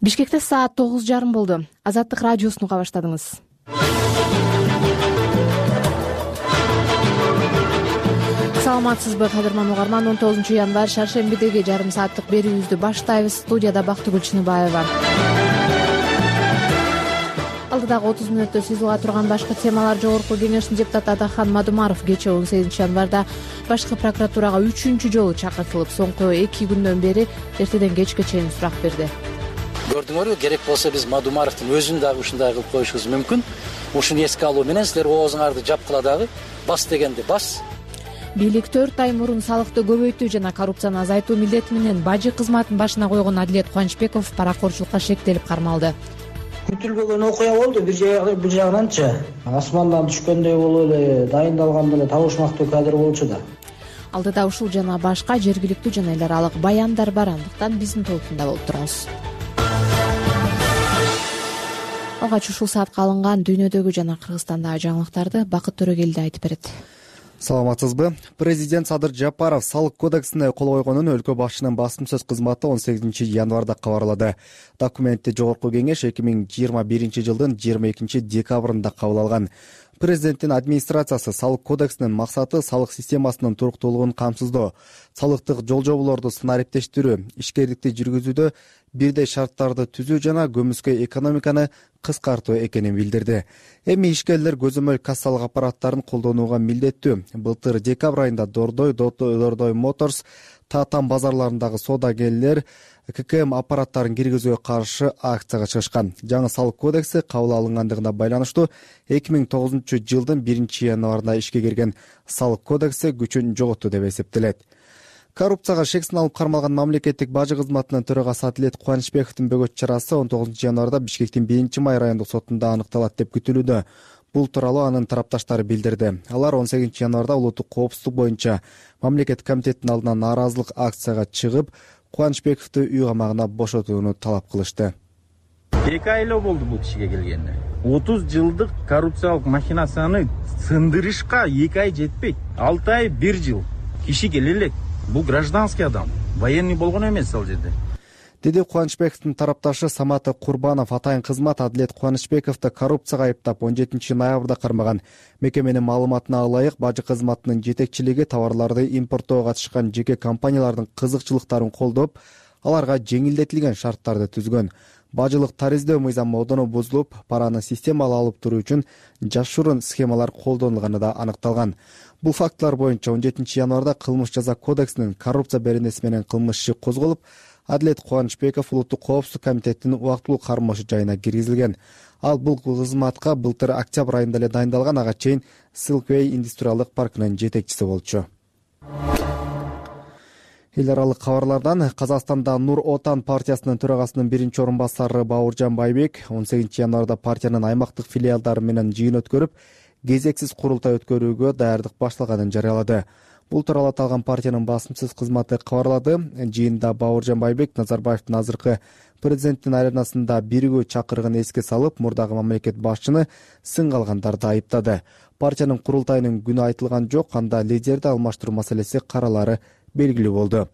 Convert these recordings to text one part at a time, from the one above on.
Бишкекте саат 9:30 болду. Азаттык радиосун уга баштадыңыз. Саламатсызбы, кадырман угарман? 19 январь шаршембидеги жарым сааттык берүүбүздү баштайбыз. Студияда Бактыгүл Чыныбаева. Алдыдагы 30 мүнөттө сыйзылга турган башкы темалар: Жогорку Кеңештин депутаты Адахан Мадумаров кечээ 18 январда башкы прокуратурага 3-чү жолу чакыртылып, соңку 2 күндөн бери эртеден кечке чейин сурак берди. Көрдүңөрбү, керек болсо биз Мадумаровдун өзүн дагы ушундай кылып коюшубуз мүмкүн. Ушуну эске алуу менен силер оозуңарды жапкыла дагы, бас дегенди бас. Бийлик 4 ай мурун салыкты көбөйтүү жана коррупцияны азайтуу милдети менен бажы кызматын башына койгон Адилет Кубанычбеков паракорчулукка шектелип кармалды. Күтүлбөгөн окуя болду. Бир жагынанчы асмандан түшкөндөй болуп эле дайындалган эле табышмактуу кадр болчу да. Алдыда ушул жана башка жергиликтүү жана эл аралык баяндар бар, андыктан биздин толкунда болуп туруңуз. Алгач ушул саатка алынган дүйнөдөгү жана Кыргызстандагы жаңылыктарды Бакыт Төрөгелди айтып берет. Саламатсызбы. Президент Садыр Жапаров салык кодексине кол койгонун өлкө башчынын басым сөз кызматы 18 январда кабарлады. Документти Жогорку Кеңеш 2021 жылдын 22 декабрында кабыл алган. Президенттин администрациясы салык кодексинин максаты салык системасынын туруктуулугун камсыздоо, салыктык жол-жоболорду сценариптештирүү, ишкерликти жүргүзүүдө бирдей шарттарды түзүү жана көмүскө экономиканы кыскартуу экенин билдирди. Эми ишкерлер көзөмөл кассалык аппараттарын колдонууга милдеттүү. Былтыр декабрь айында Дордой Моторс, Татан базарларындагы соодагерлер ККМ аппараттарын киргизүүгө каршы акцияга чыгышкан. Жаңы салык кодекси кабыл алынгандыгына байланыштуу 2009 жылдын 1 январында ишке кирген салык кодекси күчүн жоготту деп эсептелет. Коррупцияга шек салып кармалган мамлекеттик бажы кызматынын төрагасы Адилет Кубанычбековдун бөгөт чарасы 19 январда Бишкектин 1-май райондук сотунда аныкталат деп күтүлүүдө. Бул тууралуу анын тарапташтары билдирди. Алар 18 январда улуттук коопсуздук боюнча мамлекет комитетинин алдына нааразылык акцияга чыгып, Кубанычбековду үй камагына бошотууну талап кылышты. 2 ай эле болду бул кишиге келгенине. 30 жылдык коррупциялык махинацияны сындырышка 2 ай жетпейт. 6 ай 1 жыл. Киши келе элек. Бул гражданский адам. Военный болгон эмес ал жерде. Деди Кубанычбековдун тарапташы Самат Курбанов. Атайын кызмат Адилет Кубанычбековду коррупцияга айыптап 17 ноябрда кармаган. Мекеменин маалыматына ылайык, бажы кызматынын жетекчилиги товарларды импорттоого катышкан жеке компаниялардын кызыкчылыктарын колдоп, аларга жеңилдетилген шарттарды түзгөн. Бажылык тариздөө мыйзамы одоно бузулуп, параны системалуу алып туруу үчүн жашыруун схемалар колдонулганы да аныкталган. Бул фактылар боюнча 17 январда кылмыш жаза кодексинин коррупция беренеси менен кылмыш иши козголуп, Адилет Кубанычбеков улуттук коопсуздук комитетинин убактылуу кармошу жайына киргизилген. Ал бул кызматка былтыр октябрь айында эле дайындалган, ага чейин Silkway индустриалдык паркынын жетекчиси болчу. Эл аралык кабарлардан: Казакстанда Нур Отан партиясынын төрагасынын 1-орун басары Бауыржан Байбек 18 январда партиянын аймактык филиалдары менен жыйын өткөрүп, кезексиз курултай өткөрүүгө даярдык башталганын жарыялады. Бул тууралуу аталган партиянын басым сөз кызматы кабарлады. Жыйында Бауыржан Байбек Назарбаевдин азыркы президенттин аренасында биригүү чакырыгын эске салып, мурдагы мамлекет башчыны сынга алгандарды айыптады. Партиянын курултайынын күнү айтылган жок, анда лидерди алмаштыруу маселеси каралары белгилүү болду.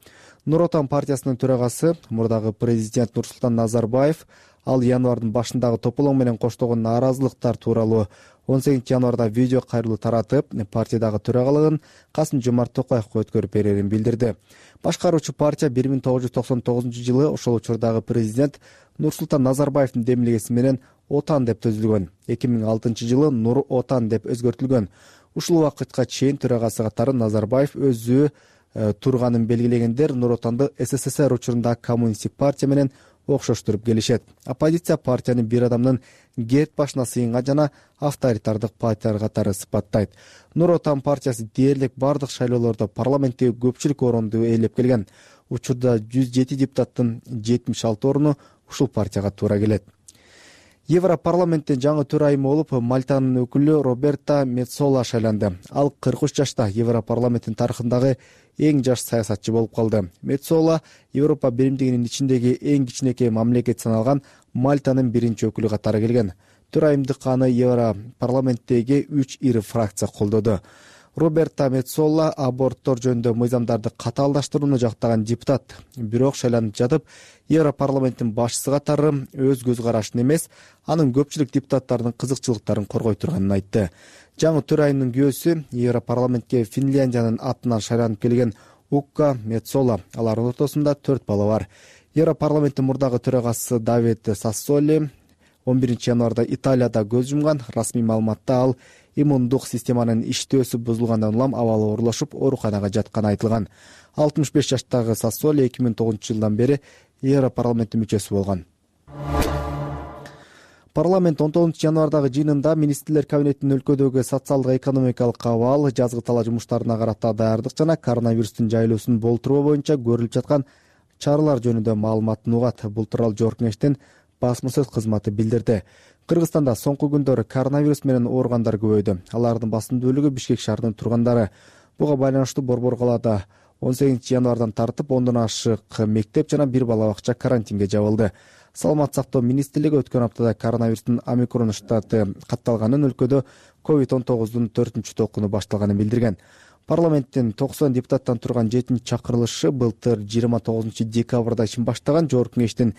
Нур Отан партиясынын төрагасы мурдагы президент Нурсултан Назарбаев ал январдын башындагы тополоң менен коштогон нааразылыктар тууралуу 18 январда видео кайрылуу таратып, партиядагы төрагалыгын Касым-Жомарт Токаевге өткөрүп берерин билдирди. Башкаруучу партия 1999 жылы ошол учурдагы президент Нурсултан Назарбаевдин демилгеси менен Отан деп түзүлгөн. 2006 жылы Нур Отан деп өзгөртүлгөн. Ушул убакытка чейин төрагасы катары Назарбаев өзү турганын белгилегендер Нур Отанды СССР учурунда коммунисттик партия менен окшоштуруп келишет. Оппозиция партияны бир адамдын герт башына сыйынга жана авторитардык партиялар катары сыпаттайт. Нур Отан партиясы дээрлик бардык шайлоолордо парламенттеги көпчүлүк орунду ээлеп келген. Учурда 107 депутаттын 76 орunu ушул партияга туура келет. Европарламенттин жаңы төрайымы болуп Мальтанын өкүлү Роберта Меццола шайланды. Ал 43 жашта Европарламенттин тарыхындагы эң жаш саясатчы болуп калды. Меццола Европа биримдигинин ичиндеги эң кичинекей мамлекет саналган Мальтанын биринчи өкүлү катары келген. Төрайымдык аны Европарламенттеги 3 ири фракция колдоду. Роберта Меццола аборттор жөнүндө мыйзамдарды катаалдаштырууну жактаган депутат, бирок шайланып жатып Европарламенттин башчысы катары өз көз карашын эмес, анын көпчүлүк депутаттардын кызыкчылыктарын коргой турганын айтты. Жаңы төрайымдын күйөөсү Европарламентке Финляндиянын атынан шайланып келген Укка Меццола. Алардын ортосунда 4 бала бар. Европарламенттин мурдагы төрагасы Давид Сассоли 11 январда Италияда көз жумган. Расмий маалыматта ал иммундук системанын иштөөсү бузулгандан улам абалы оорлошуп, ооруканага жатканы айтылган. 65 жаштагы Сассоли 2009-жылдан бери Европарламенттин мүчөсү болгон. Парламент 19 январдагы жыйынында министрлер кабинетинин өлкөдөгү социалдык экономикалык абал, жазгы талаа жумуштарына карата даярдык жана коронавирустун жайылуусун болтуруу боюнча көрүлүп жаткан чаралар жөнүндө маалыматын угат. Бул тууралуу Жогорку Кеңештин басма сөз кызматы билдирди. Кыргызстанда соңку күндөрү коронавирус менен ооругандар көбөйдү. Алардын басым бөлүгү Бишкек шаарынын тургандары. Буга байланыштуу Борбор калаада 18 январдан тартып 10дон ашык мектеп жана 1 бала бакча карантинге жабылды. Саламат сактоо министрлиги өткөн аптада коронавирустун омикрон штаты катталганын, өлкөдө COVID-19 4-чү толкуну башталганын билдирген. Парламенттин 90 депутаттан турган 7-чи чакырылышы былтыр 29 декабрда ишин баштаган. Жогорку Кеңештин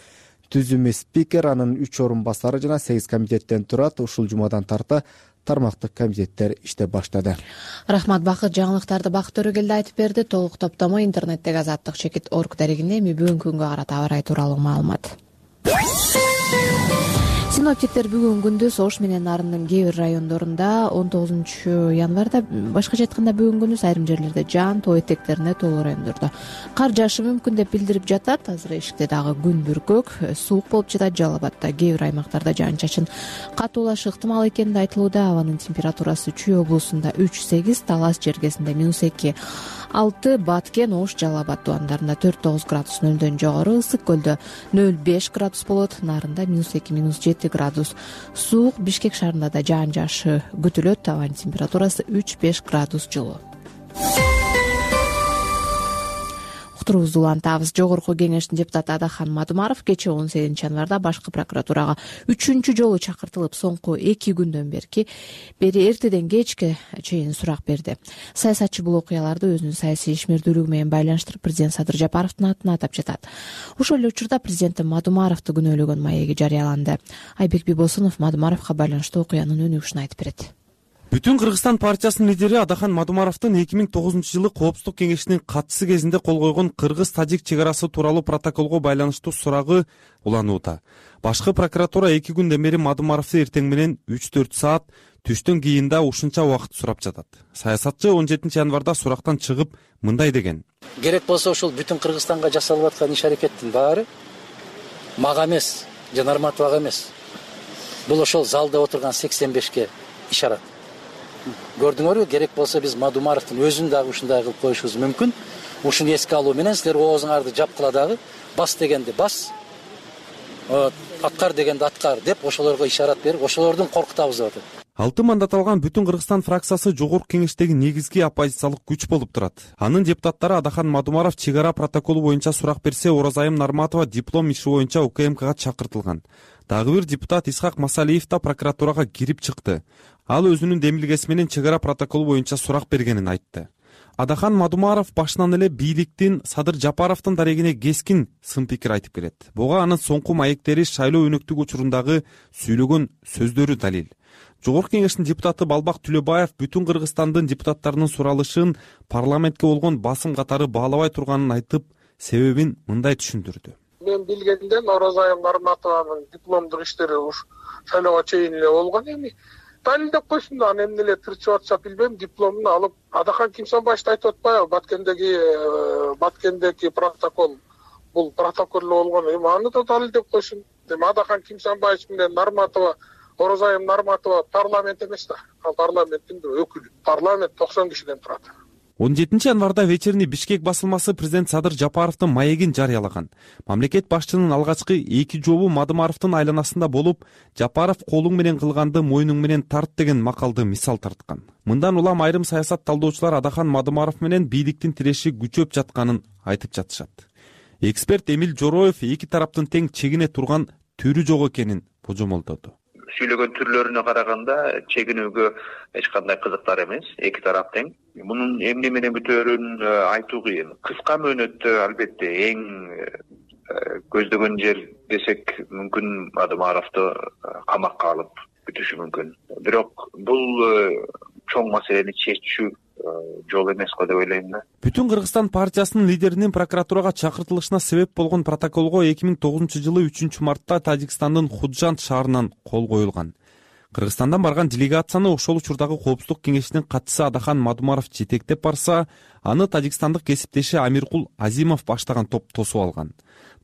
түзүмү спикер, анын 3 орун басары жана 8 комитеттен турат. Ушул жумадан тарта тармактык комитеттер иштеп баштады. Рахмат, Бакыт. Жаңылыктарды Бакыт Төрөгелди айтып берди. Толук топтомо интернеттеги Азаттык-Чекит.org дарегинде. Эми бүгүнкү күнгө карата аба ырайы тууралуу маалымат. Синоптиктер бүгүн күндүз Ош менен Нарындын кээ бир райондорунда 19 январда, башкача айтканда бүгүн күндүз айрым жерлерде жаан тоо этектерине толуу райондордо кар жаашы мүмкүн деп билдирип жатат. Азыр эшикте дагы күн бүркөк, суук болуп жатат. Жалал Абадда кээ бир аймактарда жаан-чачын катуулашы ыктымал экени айтылууда. Абанын температурасы Чүй облусунда 3-8, Талас жергесинде -2, 6, Баткен, Ош, Жалал Абад тубандарында 4-9 градус нөлдөн жогору, Ысык көлдө 0-5 градус болот, Нарында -2, -7 градус суук. Бишкек шаарында да жаан жаашы күтүлөт. Абанын температурасы 3-5 градус жылуу. Уктуруубузду улантабыз. Жогорку Кеңештин депутаты Адахан Мадумаров кечээ 18 январда башкы прокуратурага 3-чү жолу чакыртылып, соңку 2 күндөн бери эртеден кечке чейин сурак берди. Саясатчы бул окуяларды өзүнүн саясий ишмердүүлүгү менен байланыштырып, президент Садыр Жапаровдун атын атап жатат. Ошол эле учурда президент Мадумаровду күнөөлөгөн маеги жарыяланды. Айбек Бибосунов Мадумаровго байланыштуу окуянын өнүгүшүн айтып берет. Бүтүн Кыргызстан партиясынын лидери Адахан Мадумаровдун 2009-жылы Коопсуздук кеңешинин катчысы кезинде кол койгон Кыргыз-Тажик чек арасы тууралуу протоколго байланыштуу сурагы уланууда. Башкы прокуратура 2 күндөн бери Мадумаровду эртең менен 3-4 саат, түштөн кийин да ушунча убакыт сурап жатат. Саясатчы 17 январда сурактан чыгып мындай деген: керек болсо ушул бүтүн Кыргызстанга жасалып аткан иш-аракеттин баары мага эмес, жана Нарматовага эмес. Бул ошол залда отурган 85ке ишарат. Көрдүңөрбү, керек болсо биз Мадумаровдун өзүн дагы ушундай кылып коюшубуз мүмкүн. Ушуну эске алуу менен силер оозуңарды жапкыла дагы, бас дегенди бас, аткар дегенди аткар деп ошолорго ишарат берип, ошолордун коркутабыз деп атат. 6 мандат алган Бүтүн Кыргызстан фракциясы Жогорку Кеңештеги негизги оппозициялык күч болуп турат. Анын депутаттары Адахан Мадумаров чек ара протоколу боюнча сурак берсе, Оразайым Нарматова диплом иши боюнча УКМКга чакыртылган. Дагы бир депутат Исхак Масалиев да прокуратурага кирип чыкты. Ал өзүнүн демилгеси менен чек ара протоколу боюнча сурак бергенин айтты. Адахан Мадумаров башынан эле бийликтин Садыр Жапаровдун дарегине кескин сын пикир айтып келет. Буга анын соңку маектери шайлоо өнөктүк учурундагы сүйлөгөн сөздөрү далил. Жогорку Кеңештин депутаты Балбак Түлөбаев Бүтүн Кыргызстандын депутаттарынын суралышын парламентке болгон басым катары баалабай турганын айтып, себебин мындай түшүндүрдү. Мен билгенден Оразайым Нарматованын дипломдук иштери шайлоого чейин эле болгон. Эми далилдеп койсун да, аны эмне эле тырчып атса билбейм, дипломун алып. Адахан Кимсанбаевди айтып атпайбы, Баткендеги протокол бул протокол болгон. Эми аны да далилдеп койсун. Эми Адахан Кимсанбаев менен Нарматова, Оразайым Нарматова парламент эмес да, ал парламенттин өкүлү. Парламент 90 кишиден турат. 17 январда вечерний Бишкек басылмасы президент Садыр Жапаровдун маегин жарыялаган. Мамлекет башчынын алгачкы 2 жолу Мадумаровдун айланасында болуп, Жапаров колуң менен кылганды мойнуң менен тарт деген макалды мисал тарткан. Мындан улам айрым саясат талдоочулар Адахан Мадумаров менен бийликтин тиреши күчөп жатканын айтып жатышат. Эксперт Эмил Жороев эки тараптын тең чегине турган түрү жок экенин божомолдоду. сүйлөгөн түрлөрүнө караганда чегинүүгө эч кандай кызыктар эмес, эки тарап тең. Мунун эмне менен бүтөөрүн айтуу кыйын. Кыска мөөнөттө албетте эң көздөгөн жер десек мүмкүн Мадумаровду камакка алып бүтүшү мүмкүн. Бирок бул чоң маселени чечүү жол эмес го деп ойлойм да. Бүтүн Кыргызстан партиясынын лидеринин прокуратурага чакыртылышына себеп болгон протоколго 2009-жылы 3-мартта Тажикстандын Худжанд шаарынан кол коюлган. Кыргызстандан барган делегацияны ошол учурдагы Коопсуздук кеңешинин катчысы Адахан Мадумаров жетектеп барса, аны тажикстандык кесиптеши Амиркул Азимов баштаган топ тосуп алган.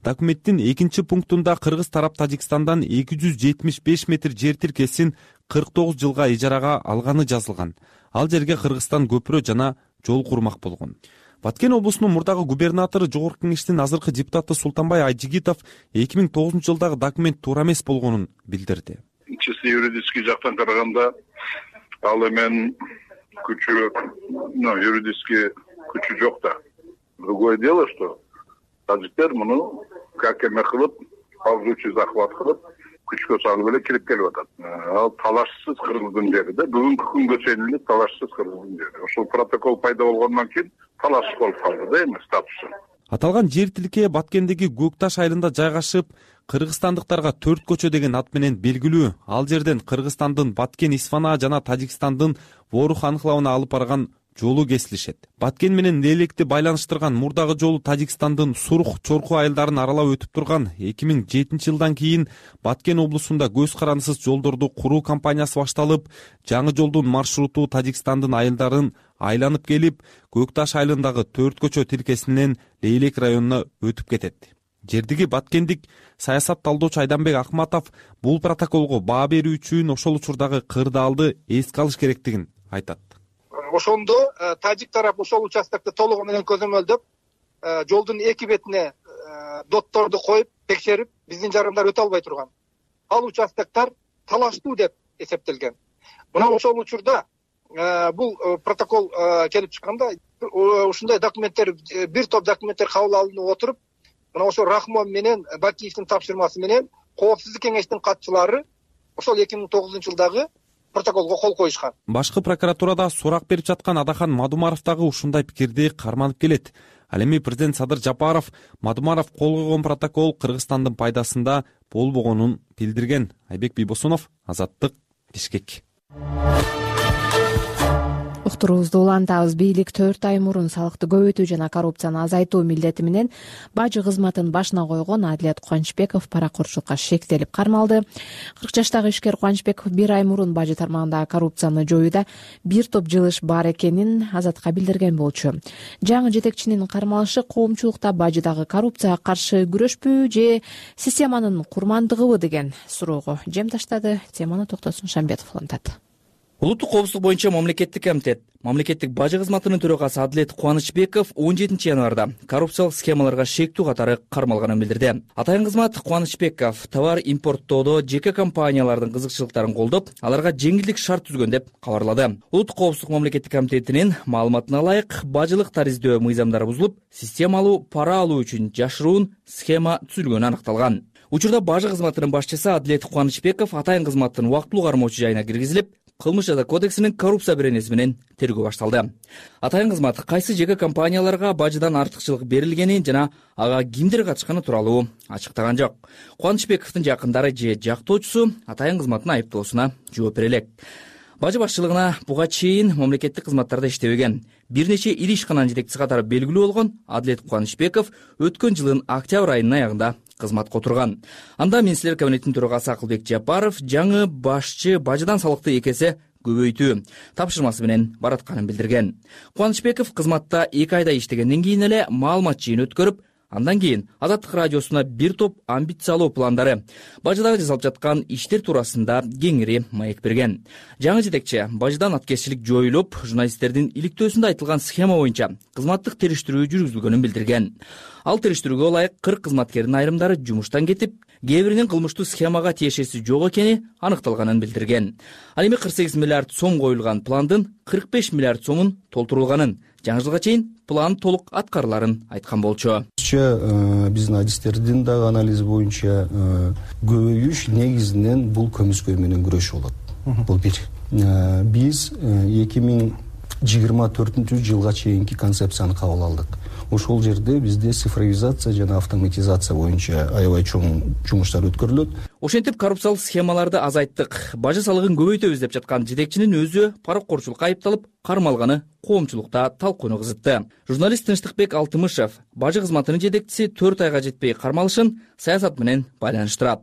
Документтин 2-пунктунда кыргыз тарап Тажикстандан 275 метр жер тиркесин 49 жылга ижарага алганы жазылган. Ал жерге Кыргызстан көпүрө жана жол курмак болгон. Баткен облусунун мурдагы губернатору Жогорку Кеңештин азыркы депутаты Султанбай Айжигитов 2009 жылдагы документ туура эмес болгонун билдирди. Чисто юридический жактан караганда ал эмен күчү, юридический күчү жок да. Другое дело, что таджиктер муну как эме кылып, ползучий захват кылып, күчкө салып эле кирип келип атат. Ал талашсыз кыргыздын жери да, бүгүнкү күнгө чейин эле талашсыз кыргыздын жери. Ошол протокол пайда болгондон кийин талаш болуп калды да эми статусу. Аталган жер тилке Баткендеги Көкташ айылында жайгашып, кыргызстандыктарга 4 көчө деген ат менен белгилүү. Ал жерден Кыргызстандын Баткен Исфана жана Тажикстандын Ворух анклавына алып барган жолу кесилишет. Баткен менен Лелекти байланыштырган мурдагы жолу Тажикстандын Сурух, Чорку айылдарын аралап өтүп турган. 2007 жылдан кийин Баткен облусунда көз карандысыз жолдорду куруу кампаниясы башталып, жаңы жолдун маршруту Тажикстандын айылдарын айланып келип, Көкташ айылындагы 4 көчө тилкесинен Лейлек районуна өтүп кетет. Жердиги Баткендик саясат талдоочу Айданбек Акматов бул протоколго баа берүү үчүн ошол учурдагы кырдаалды эске алыш керектигин айтат. Ошондо тажик тарап ошол участокты толугу менен көзөмөлдөп, жолдун эки бетине дотторду коюп, текшерип, биздин жарандар өтө албай турган. Ал участоктор талаштуу деп эсептелген. Мына ошол учурда бул протокол келип чыкканда, ушундай документтер, бир топ документтер кабыл алынып отуруп, мына ошол Рахмон менен Бакиевдин тапшырмасы менен Коопсуздук кеңештин катчылары ошол 2009 жылдагы протоколго кол коюшкан. Башкы прокуратурада сурак берип жаткан Адахан Мадумаров дагы ушундай пикирди карманып келет. Ал эми президент Садыр Жапаров Мадумаров кол койгон протокол Кыргызстандын пайдасында болбогонун билдирген. Айбек Бийбосунов, Азаттык, Бишкек. Уктуруубузду улантабыз. Бийлик 4 ай мурун салыкты көбөйтүү жана коррупцияны азайтуу милдети менен бажы кызматын башына койгон Адилет Кубанычбеков паракурчулукка шектелип кармалды. 40 жаштагы ишкер Кубанычбеков 1 ай мурун бажы тармагындагы коррупцияны жоюуда бир топ жылыш бар экенин Азатка билдирген болчу. Жаңы жетекчинин кармалышы коомчулукта бажыдагы коррупцияга каршы күрөшпү же системанын курмандыгыбы деген суроого жем таштады. Теманы Токтосун Шамбетов улантат. Улуттук коопсуздук боюнча мамлекеттик комитет, мамлекеттик бажы кызматынын төрагасы Адилет Кубанычбеков 17 январда коррупциялык схемаларга шектүү катары кармалганын билдирди. Атайын кызмат Кубанычбеков товар импорттоодо жеке компаниялардын кызыкчылыктарын колдоп, аларга жеңилдик шарт түзгөн деп кабарлады. Улуттук коопсуздук мамлекеттик комитетинин маалыматына ылайык, бажылык тариздөө мыйзамдары бузулуп, системалуу пара алуу үчүн жашыруун схема түзүлгөнү анықталган. Учурда бажы кызматынын башчысы Адилет Кубанычбеков атайын кызматтын убактылуу кармоочу жайына киргизилип, Кылмыш жаза кодексинин коррупция беренеси менен тергөө башталды. Атайын кызмат кайсы жеке компанияларга бажыдан артыкчылык берилгени жана ага кимдер катышканы тууралуу ачыктаган жок. Кубанычбековдун жакындары же жактоочусу атайын кызматтын айыптоосуна жооп бере элек. Бажы башчылыгына буга чейин мамлекеттик кызматтарда иштебеген, бир нече ири ишкананын жетекчиси катары белгилүү болгон Адилет Кубанычбеков өткөн жылдын октябрь айынын аягында кызматка отурган. Анда Министрлер кабинетинин төрагасы Акылбек Жапаров жаңы башчы бажыдан салыкты 2 эсе көбөйтүү тапшырмасы менен баратканын билдирген. Кубанычбеков кызматта 2 айда иштегенден кийин эле маалымат жыйын өткөрүп, андан кийин Азаттык радиосуна бир топ амбициялуу пландары, бажыдагы жасалып жаткан иштер туурасында кеңири маек берген. Жаңы жетекчи бажыдан аткезчилик жоюлуп, журналисттердин иликтөөсүндө айтылган схема боюнча кызматтык териштирүү жүргүзүлгөнүн билдирген. Ал териштирүүгө ылайык 40 кызматкердин айрымдары жумуштан кетип, кээ биринин кылмыштуу схемага тиешеси жок экени аныкталганын билдирген. Ал эми 48 миллиард сом коюлган пландын 45 миллиард сомун толтурулганын, жаңы жылга чейин план толук аткарыларын айткан болчу. Өзүбүзчө биздин адистердин дагы анализи боюнча көбөйүш негизинен бул көмүскө менен күрөшүү болот. Бул бир. Биз 2024 жылга чейинки концепцияны кабыл алдык. Ошол жерде бизде цифровизация жана автоматизация боюнча аябай чоң жумуштар өткөрүлөт. Ошентип коррупциялык схемаларды азайттык, бажы салыгын көбөйтөбүз деп жаткан жетекчинин өзү паракорчулукка айыпталып, кармалганы коомчулукта талкууну кызытты. Журналист Тынчтыкбек Алтымышев бажы кызматынын жетекчиси 4 айга жетпей кармалышын саясат менен байланыштырат.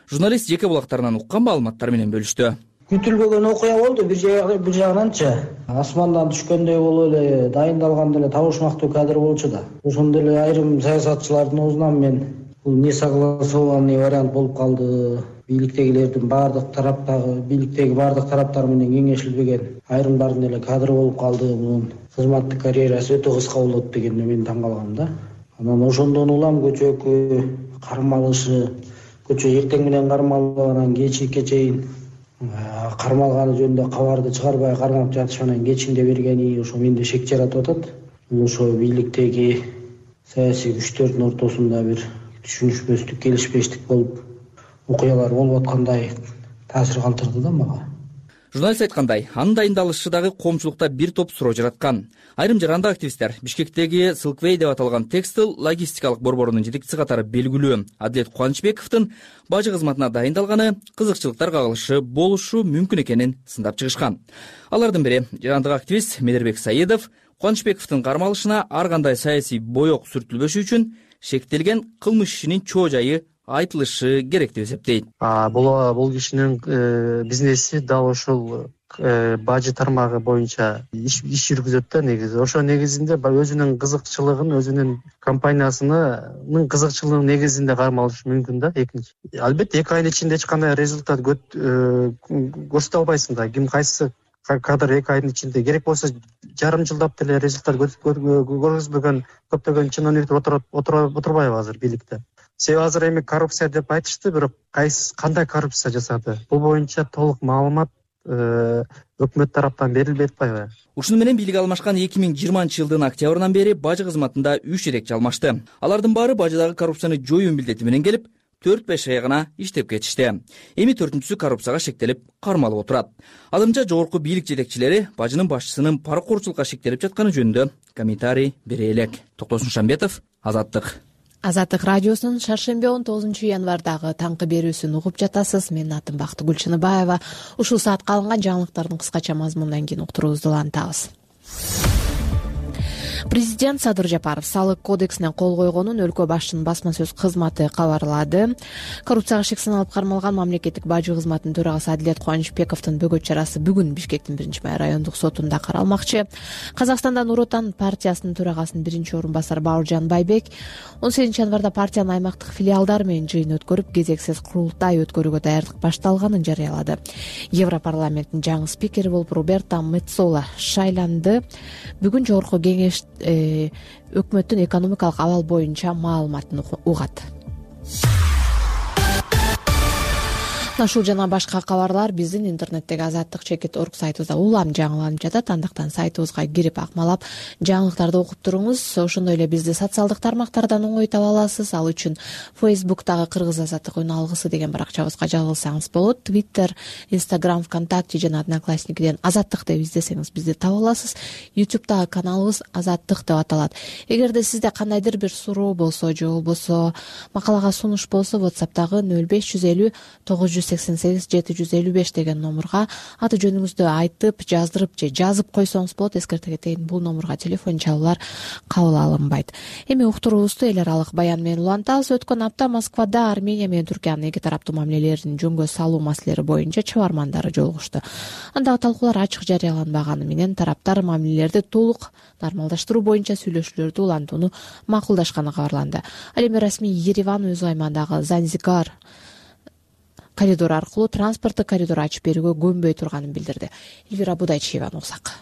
Журналист жеке булактарынан уккан маалыматтар менен бөлүштү. Күтүлбөгөн окуя болду. Бир жагынан асмандан түшкөндөй болуп эле дайындалган эле табышмактуу кадр болчу да. Ошондой эле айрым саясатчылардын оозунан мен бул несогласованный вариант болуп калды. Бийликтеги бардык тараптар менен кеңешилбеген айрымдардын эле кадры болуп калды. Мунун кызматтык карьерасы өтө кыска болот дегенде мен таң калгам да. Анан ошондон улам көчөгө кармалышы, көчө эртең менен кармалып анан кечке чейин кармалганы жөнүндө кабарды чыгарбай кармап жатыш менен кечинде бергени ошо менде шек жаратып атат. Ошо бийликтеги саясий күчтөрдүн ортосунда бир түшүнүшпөстүк, келишпештик болуп окуялар болуп аткандай таасир калтырды да мага. Журналист айткандай, анын дайындалышы дагы коомчулукта бир топ суроо жараткан. Айрым жарандык активисттер Бишкектеги Silkway деп аталган текстил логистикалык борборунун жетекчиси катары белгилүү Адилет Кубанычбековдун бажы кызматына дайындалганы кызыкчылыктар кагылышы болушу мүмкүн экенин сындап чыгышкан. Алардын бири жарандык активист Медербек Саидов Кубанычбековдун кармалышына ар кандай саясий боек сүртүлбөшү үчүн шектелген кылмыш ишинин чоо жайы айтылышы керек деп эсептейт. Бул кишинин бизнеси дал ошол бажы тармагы боюнча иш жүргүзөт да негизи. Ошо негизинде өзүнүн кызыкчылыгын, өзүнүн компаниясынын кызыкчылыгынын негизинде кармалышы мүмкүн да. Экинчи, албетте 2 айдын ичинде эч кандай результат көрсөтө албайсың да. Ким кайсы кадр 2 айдын ичинде керек болсо жарым жылдап деле результат көргөзбөгөн көптөгөн чиновниктер отурбайбы азыр бийликте. Себеби азыр эми коррупция деп айтышты, бирок кандай коррупция жасады? Бул боюнча толук маалымат өкмөт тараптан берилбей атпайбы? Ушуну менен бийлик алмашкан 2020 жылдын октябрынан бери бажы кызматында 3 жетекчи алмашты. Алардын баары бажыдагы коррупцияны жоюу милдети менен келип, 4-5 ай гана иштеп кетишти. Эми 4-түсү коррупцияга шектелип, кармалып отурат. Азырынча жогорку бийлик жетекчилери бажынын башчысынын паракорчулукка шектелип жатканы жөнүндө комментарий бере элек. Токтосун Шамбетов, Азаттык. Азаттык радиосунун шаршемби 19 январдагы таңкы берүүсүн угуп жатасыз. Менин атым Бактыгүл Чыныбаева. Ушул саатка алынган жаңылыктардын кыскача мазмунунан кийин уктуруубузду улантабыз. Президент Садыр Жапаров салык кодексине кол койгонун өлкө башчынын басма сөз кызматы кабарлады. Коррупцияга шек саналып кармалган мамлекеттик бажы кызматынын төрагасы Адилет Кубанычбековдун бөгөт чарасы бүгүн Бишкектин 1-май райондук сотунда каралмакчы. Казакстанда Нур Отан партиясынын төрагасынын 1-орун-басары Бауыржан Байбек 18 январда партиянын аймактык филиалдары менен жыйын өткөрүп, кезексиз курултай өткөрүүгө даярдык башталганын жарыялады. Европарламенттин жаңы спикери болуп Роберто Меццола шайланды. Бүгүн жогорку кеңеш өкмөттүн экономикалык абал боюнча маалыматын угат. Ушул жана башка кабарлар биздин интернеттеги azattik.org сайтыбызда улам жаңыланып жатат. Андыктан сайтыбызга кирип акмалап жаңылыктарды окуп туруңуз. Ошондой эле бизди социалдык тармактардан оңой таба аласыз. Ал үчүн Facebook'тагы Кыргыз азаттык үн алгысы деген баракчабызга жазылсаңыз болот. Twitter, Instagram, ВКонтакте жана Одноклассникиден азаттык деп издесеңиз бизди таба аласыз. YouTube'дагы каналыбыз азаттык деп аталат. Эгерде сизде кандайдыр бир суроо болсо же болбосо макалага сунуш болсо WhatsApp'тагы 0550 988 755 деген номурга аты жөнүңүздү айтып, жаздырып же жазып койсоңуз болот. Эскерте кетейин, бул номурга телефон чалуулар кабыл алынбайт. Эми уктуруубузду эл аралык баян менен улантабыз. Өткөн апта Москвада Армения менен Түркиянын эки тараптуу мамилелерин жөнгө салуу маселелери боюнча чыгармандары жолугушту. Андагы талкуулар ачык жарыяланбаганы менен тараптар мамилелерди толук нормалдаштыруу боюнча сүйлөшүүлөрдү улантууну макулдашканы кабарланды. Ал эми расмий Ереван өз аймагындагы Занзигар коридор аркылуу транспорттук коридор ачып берүүгө көнбөй турганын билдирди. Элвира Будайчиеваны уксак.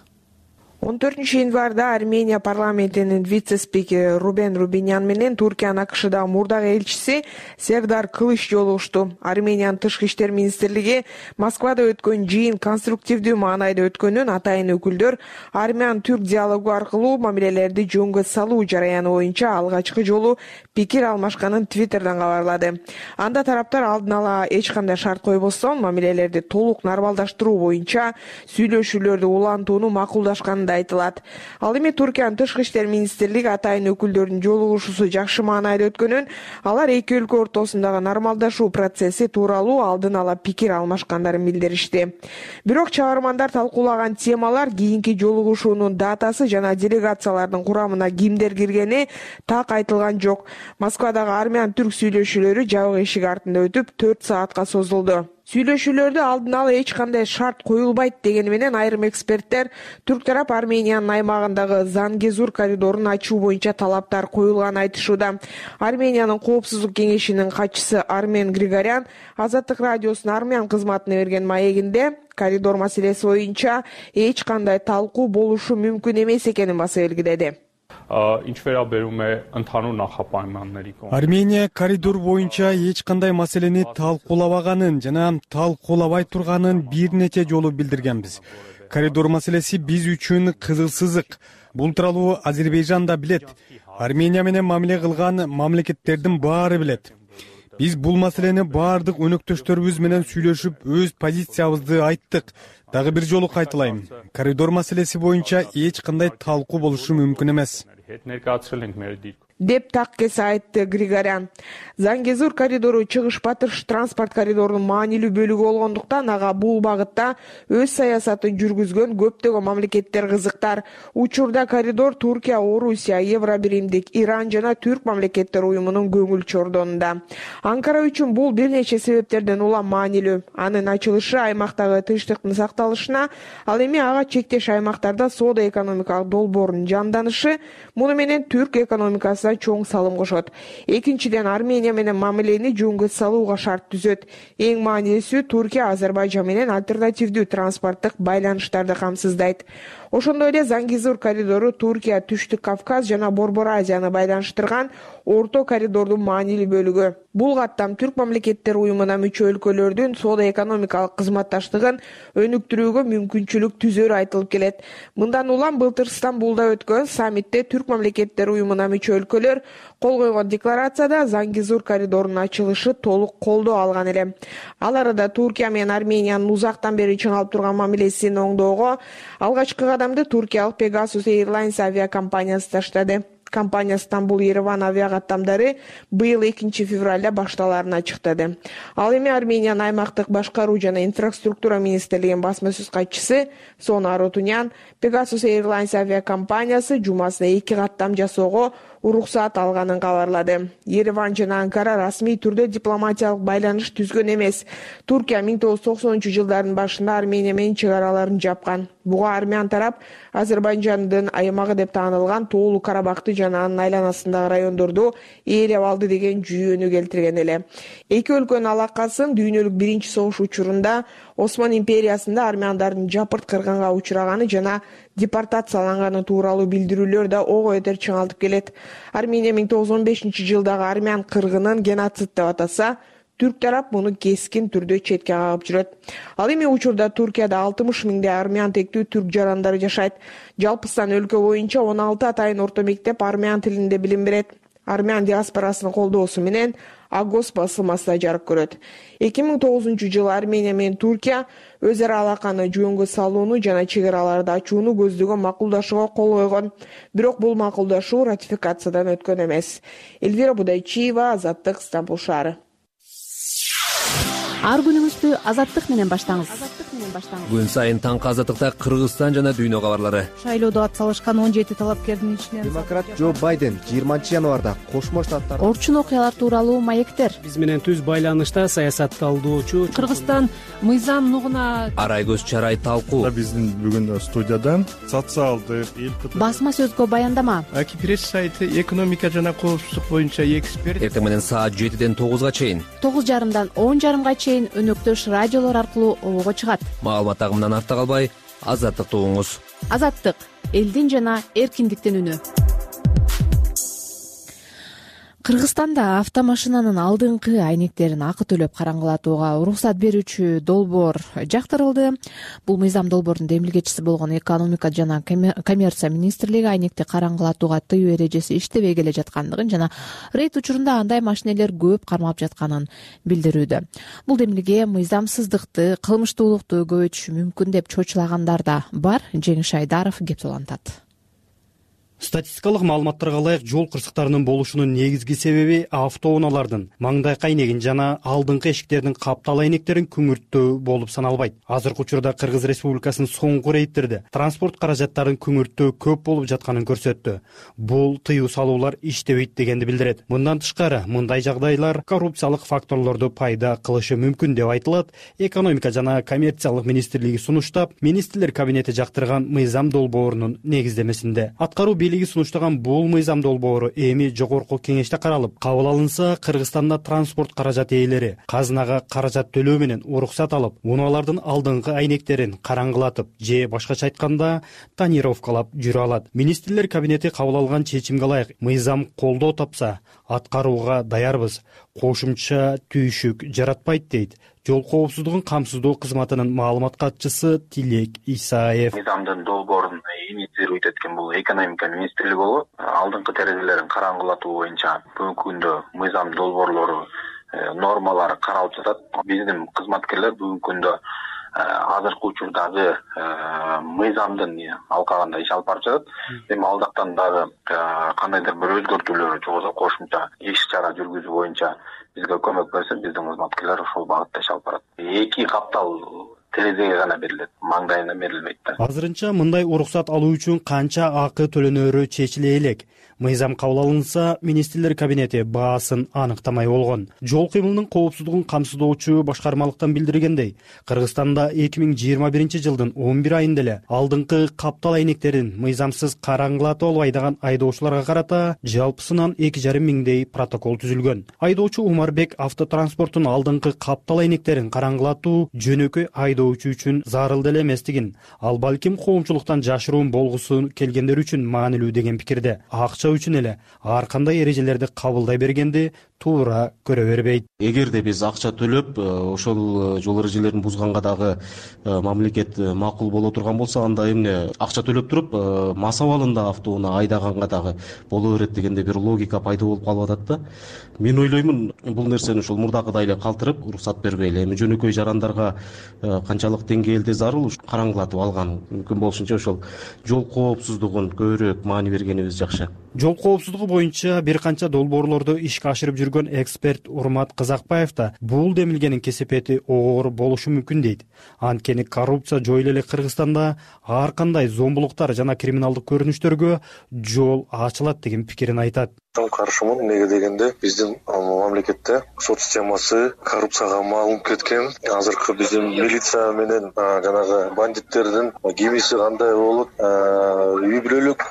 14-январда Армения парламентинин вице-спикери Рубен Рубинян менен Туркиянын АКШдагы мурдагы элчиси Сердар Кылыч жолугушту. Армениянын тышкы иштер министрлиги Москвада өткөн жыйын конструктивдүү маанайда өткөнүн атайын өкүлдөр армян-түрк диалогу аркылуу мамилелерди жөнгө салуу жараяны боюнча алгачкы жолу пикир алмашканын Твиттерден кабарлады. Анда тараптар алдын ала эч кандай шарт койбостон мамилелерди толук нормалдаштыруу боюнча сүйлөшүүлөрдү улантууну макулдашканы айтылат. Ал эми Туркиянын тышкы иштер министрлиги атайын өкүлдөрдүн жолугушуусу жакшы маанайда өткөнүн, алар эки өлкө ортосундагы нормалдашуу процесси тууралуу алдын ала пикир алмашкандарын билдиришти. Бирок чыгармандар талкуулаган темалар, кийинки жолугушуунун датасы жана делегациялардын курамына кимдер киргени так айтылган жок. Москвадагы армян-түрк сүйлөшүүлөрү жабык эшик артында өтүп 4 саатка созулду. Сүйлөшүүлөрдө алдын ала эч кандай шарт коюлбайт дегени менен айрым эксперттер түрк тарап Армениянын аймагындагы Зангезур коридорун ачуу боюнча талаптар коюлганын айтышууда. Армениянын коопсуздук кеңешинин катчысы Армен Григорян Азаттык радиосунун армян кызматына берген маегинде коридор маселеси боюнча эч кандай талкуу болушу мүмкүн эмес экенин баса белгиледи. Армения коридор боюнча эч кандай маселени талкуулабаганын жана талкуулабай турганын бир нече жолу билдиргенбиз. Коридор маселеси биз үчүн кызыл сызык. Бул тууралуу Азербайжан да билет. Армения менен мамиле кылган мамлекеттердин баары билет. Биз бул маселени баардык өнөктөштөрүбүз менен сүйлөшүп, өз позициябызды айттык. Дагы бир жолу кайталайм. Коридор маселеси боюнча эч кандай талкуу болушу мүмкүн эмес. Деп так кесе айтты Григорян. Зангезур коридору чыгыш-батыш транспорт коридорунун маанилүү бөлүгү болгондуктан ага бул багытта өз саясатын жүргүзгөн көптөгөн мамлекеттер кызыктар. Учурда коридор Туркия, Орусия, Евробиримдик, Иран жана Түрк мамлекеттер уюмунун көңүл чордонунда. Анкара үчүн бул бир нече себептерден улам маанилүү. Анын ачылышы аймактагы тынчтыктын сакталышына, ал эми ага чектеш аймактарда соода-экономикалык долбоордун жанданышы, муну менен түрк экономикасы чоң салым кошот. Экинчиден, Армения менен мамилени жөнгө салууга шарт түзөт. Эң маанилүүсү Туркия Азербайжан менен альтернативдүү транспорттук байланыштарды камсыздайт. Ошондой эле Зангезур коридору Туркия, Түштүк Кавказ жана Борбор Азияны байланыштырган орто коридордун маанилүү бөлүгү. Бул каттам түрк мамлекеттер уюмуна мүчө өлкөлөрдүн соода-экономикалык кызматташтыгын өнүктүрүүгө мүмкүнчүлүк түзөрү айтылып келет. Мындан улам былтыр Стамбулда өткөн саммитте түрк мамлекеттер уюмуна мүчө өлкөлөр кол койгон декларацияда Зангезур коридорунун ачылышы толук колдоо алган эле. Ал арада Туркия менен Армениянын узактан бери чыңалып турган мамилесин оңдоого алгачкы кадамды туркиялык Pegasus Airlines авиакомпаниясы таштады. Компания Стамбул-Ереван авиакаттамдары быйыл 2 февралда башталарын ачыктады. Ал эми Армениянын аймактык башкаруу жана инфраструктура министрлигинин басма сөз катчысы Сона Арутунян Pegasus Airlines авиакомпаниясы жумасына 2 каттам жасоого уруксаат алганын кабарлады. Ереван жана Анкара расмий түрдө дипломатиялык байланыш түзгөн эмес. Туркия 1990-жылдардын башында Армения менен чек араларын жапкан. Буга армян тарап Азербайжандын аймагы деп таанылган Тоолу Карабакты жана анын айланасындагы райондорду ээлеп алды деген жүйөнү келтирген эле. Эки өлкөнүн алакасын дүйнөлүк биринчи согуш учурунда Осман империясында армяндардын жапырт кыргынга учураганы жана депортацияланганы тууралуу билдирүүлөр да ого бетер чыңалтып келет. Армения 1915-жылдагы армян кыргынын геноцид деп атаса, түрк тарап муну кескин түрдө четке кагып жүрөт. Ал эми учурда Туркияда 60 миңдей армян тектүү түрк жарандары жашайт. Жалпысынан өлкө боюнча 16 атайын орто мектеп армян тилинде билим берет. Армян диаспорасынын колдоосу менен Агос басылмасы да жарык көрөт. 2009-жылы Армения менен Туркия өз ара алаканы жөнгө салууну жана чек араларды ачууну көздөгөн макулдашууга кол койгон. Бирок бул макулдашуу ратификациядан өткөн эмес. Эльвира Будайчиева, Азаттык, Стамбул шаары. Ар күнүңүздү Азаттык менен баштаңыз. Күн сайын таңкы Азаттыкта Кыргызстан жана дүйнө кабарлары. Шайлоодо ат салышкан 17 талапкердин ичинен демократ Джо Байден 20-январда Кошмо Штаттар орчун окуялар тууралуу маектер. Биз менен түз байланышта саясатталдоочу Кыргызстан мыйзам нугуна Арайгөз Чарай талкуу. Биздин бүгүн студияда социалдык басма сөзгө баяндама. Акипресс сайты экономика жана коопсуздук боюнча эксперт. Эртең менен саат 7-ден 9-га чейин, 9:30-дан 10:30-га чейин өнөктөш радиолор аркылуу обого чыгат. Маалымат агымынан артта калбай, Азаттыкты угуңуз. Азаттык элдин жана эркиндиктин үнү. Кыргызстанда автомашинанын алдыңкы айнектерин акы төлөп караңгылатууга уруксат берүүчү долбоор жактырылды. Бул мыйзам долбоордун демилгечиси болгон экономика жана коммерция министрлиги айнекти караңгылатууга тыюу эрежеси иштебей келе жаткандыгын жана рейд учурунда андай машинелер көп кармалып жатканын билдирүүдө. Бул демилге мыйзамсыздыкты, кылмыштуулукту көбөйтүшү мүмкүн деп чочулагандар да бар. Жеңиш Айдаров кеп улантат. Статистикалык маалыматтарга ылайык жол кырсыктарынын болушунун негизги себеби автоунаалардын маңдайкы айнегин жана алдыңкы эшиктердин каптал айнектерин күңүрттөө болуп саналбайт. Азыркы учурда Кыргыз Республикасынын соңку рейдтерде транспорт каражаттарын күңүрттөө көп болуп жатканын көрсөттү. Бул тыюу салуулар иштебейт дегенди билдирет. Мындан тышкары мындай жагдайлар коррупциялык факторлорду пайда кылышы мүмкүн деп айтылат. Экономика жана коммерциялык министрлиги сунуштап, министрлер кабинети жактырган мыйзам долбоорунун негиздемесинде. Аткаруу бийлиги сунуштаган бул мыйзам долбоору эми жогорку кеңеште каралып, кабыл алынса, Кыргызстанда транспорт каражат ээлери казынага каражат төлөө менен уруксат алып, унаалардын алдыңкы айнектерин караңгылатып же башкача айтканда тонировкалап жүрө алат. Министрлер кабинети кабыл алган чечимге ылайык мыйзам колдоо тапса, аткарууга даярбыз. Кошумча түйшүк жаратпайт дейт жол коопсуздугун камсыздоо кызматынын маалымат катчысы Тилек Исаев. Мыйзамдын долбоорун инициировать эткен бул экономика министрлиги болуп, алдыңкы терезелерин караңгылатуу боюнча бүгүнкү күндө мыйзам долбоорлору нормалары каралып жатат. Биздин кызматкерлер бүгүнкү күндө азыркы учурдагы мыйзамдын алкагында иш алып барып жатат. Эми алдактан дагы кандайдыр бир өзгөртүүлөр же болбосо кошумча иш чара жүргүзүү боюнча бизге көмөк берсе, биздин кызматкерлер ошол багытта иш алып барат. 2 каптал терезеге гана берилет, маңдайына берилбейт да. Азырынча мындай уруксат алуу үчүн канча акы төлөнөрү чечиле элек. Мыйзам кабыл алынса, министрлер кабинети баасын аныктамай болгон. Жол кыймылынын коопсуздугун камсыздоочу башкармалыктан билдиргендей, Кыргызстанда 2021 жылдын 11 айында эле алдыңкы каптал айнектерин мыйзамсыз караңгылатып албай айдаган айдоочуларга карата жалпысынан 2,5 миңдей протокол түзүлгөн. Айдоочу Умарбек автотранспорттун алдыңкы каптал айнектерин караңгылатуу жөнөкөй айдоочу үчүн зарыл эле эместигин, ал балким коомчулуктан жашыруун болгусу келгендер үчүн маанилүү деген пикирде. Акча үчүн эле ар кандай эрежелерди кабылдай бергенди туура көрө бербейт. Эгерде биз акча төлөп, ошол жол эрежелерин бузганга дагы мамлекет макул боло турган болсо, анда эмне акча төлөп туруп, мас абалында автоунаа айдаганга дагы боло берет дегенде бир логика пайда болуп калып атат да. Мен ойлоймун, бул нерсени ошол мурдакыдай эле калтырып, уруксат бербейли. Эми жөнөкөй жарандарга канчалык деңгээлде зарыл караңгылатып алган, мүмкүн болушунча ошол жол коопсуздугун көбүрөөк маани бергенибиз жакшы. Жол коопсуздугу боюнча бир канча долбоорлорду ишке ашырып жүргөн эксперт Урмат Казакбаев да бул демилгенин кесепети оор болушу мүмкүн дейт. Анткени коррупция жойуло эле Кыргызстанда ар кандай зомбулуктар жана криминалдык көрүнүштөргө жол ачылат деген пикирин айтат. Каршымын, эмнеге дегенде биздин мамлекетте сот системасы коррупцияга малынып кеткен. Азыркы биздин милиция менен жанагы бандиттердин кимиси кандай болот, үй бүлөлүк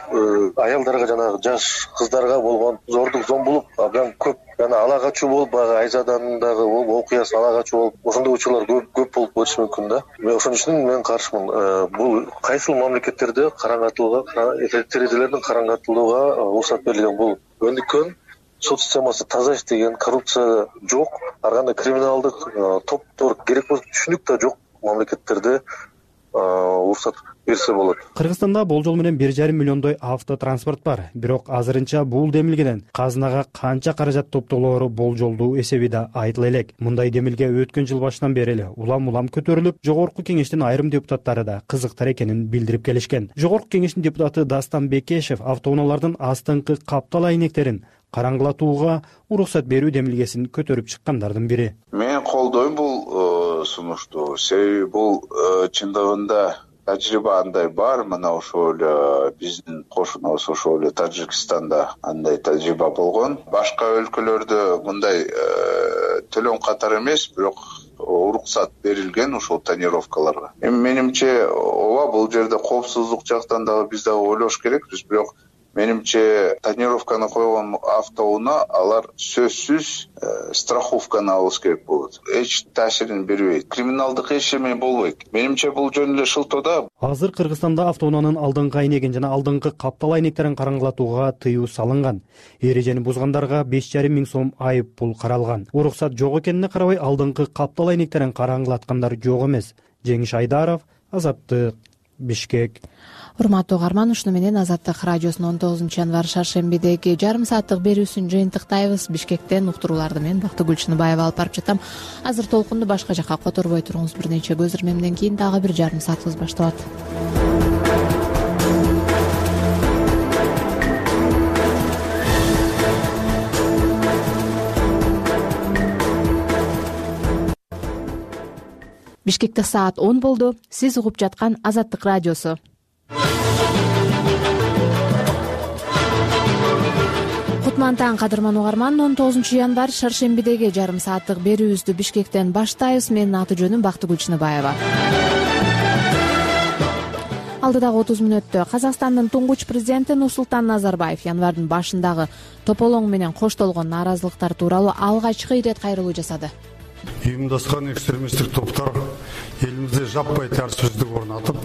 аялдарга жанагы жаш кыздарга болгон зордук зомбулук абдан көп. Жана ала качуу болуп, баягы Айзадандагы окуясы ала качуу болуп, ошондой учурлар көп болуп кетиши мүмкүн да. Ошон үчүн мен каршымын. Бул кайсыл мамлекеттерде караңгатууга, терезелердин караңгатылууга уруксат берилген. Бул өндүккөн сот системасы таза иштеген, коррупция жок, ар кандай криминалдык топтор керек болсо түшүнүк да жок мамлекеттерде уруксат берсе болот. Кыргызстанда болжол менен 1,5 миллиондой автотранспорт бар. Бирок азырынча бул демилгеден казынага канча каражат топтолоору болжолдуу эсеби да айтыла элек. Мындай демилге өткөн жыл башынан бери эле улам көтөрүлүп, жогорку кеңештин айрым депутаттары да кызыктар экенин билдирип келишкен. Жогорку кеңештин депутаты Дастан Бекешев автоунаалардын астыңкы каптал айнектерин караңгылатууга уруксат берүү демилгесин көтөрүп чыккандардын бири. Мен колдойм бул сунушту. Себеби бул чындыгында тажрыйба андай бар. Мына ошол биздин кошунубуз ошол Тажикстанда андай тажрыйба болгон. Башка өлкөлөрдө мындай төлөм катары эмес, бирок уруксат берилген ошол тонировкаларга. Эми менимче ооба бул жерде коопсуздук жактан дагы биз дагы ойлош керекпиз, бирок менимче тонировканы койгон автоунаа алар сөзсүз страховканы алыш керек болот. Эч таасирин бербейт. Криминалдык эчеме болбойт. Менимче бул жөн эле шылтоо да. Азыр Кыргызстанда автоунаанын алдыңкы айнегин жана алдыңкы каптал айнектерин караңгылатууга тыюу салынган. Эрежени бузгандарга 5,5 миң сом айып пул каралган. Уруксат жок экенине карабай алдыңкы каптал айнектерин караңгылаткандар жок эмес. Жеңиш Айдаров, Азаттык, Бишкек. Урматтуу угарман, ушуну менен Азаттык радиосунун 19-январь шаршембидеги жарым сааттык берүүсүн жыйынтыктайбыз. Бишкектен уктурууларды мен Бактыгүл Чыныбаева алып барып жатам. Азыр толкунду башка жакка которбой туруңуз. Бир нече көз ирмемден кийин дагы бир жарым саатыбыз башталат. Бишкекте саат 10 болду. Сиз угуп жаткан Азаттык радиосу. Кутман таң, кадырман угарман. 19-январь шаршембидеги жарым сааттык берүүбүздү Бишкектен баштайбыз. Менин аты жөнүм Бактыгүл Чыныбаева. Алдыдагы 30 мүнөттө Казакстандын туңгуч президенти Нурсултан Назарбаев январдын башындагы тополоң менен коштолгон нааразылыктар тууралуу алгачкы ирет кайрылуу жасады. Уюмдашкан экстремисттик топтор элибизде жаппай тартипсиздик орнотуп,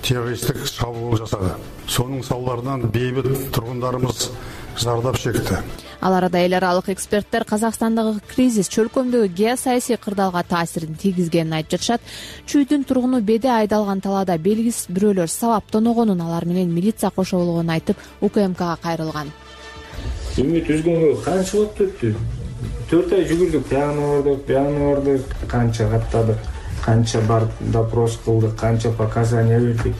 террористтик чабуул жасады. Сонун салдарынан бейбит тургундарыбыз зардап чекти. Ал арада эл аралык эксперттер Казакстандагы кризис чөлкөмдөгү геосаясий кырдаалга таасирин тийгизгенин айтып жатышат. Чүйдүн тургуну беде айдалган талаада белгисиз бирөөлөр сабап тоногонун, алар менен милиция кошоболгонун айтып, УКМКга кайрылган. Үмүт үзгөнгө канча убакыт өттү? 4 ай жүгүрдүк, бияны бардык, канча каттадык, канча барып допрос кылдык, канча показания бердик.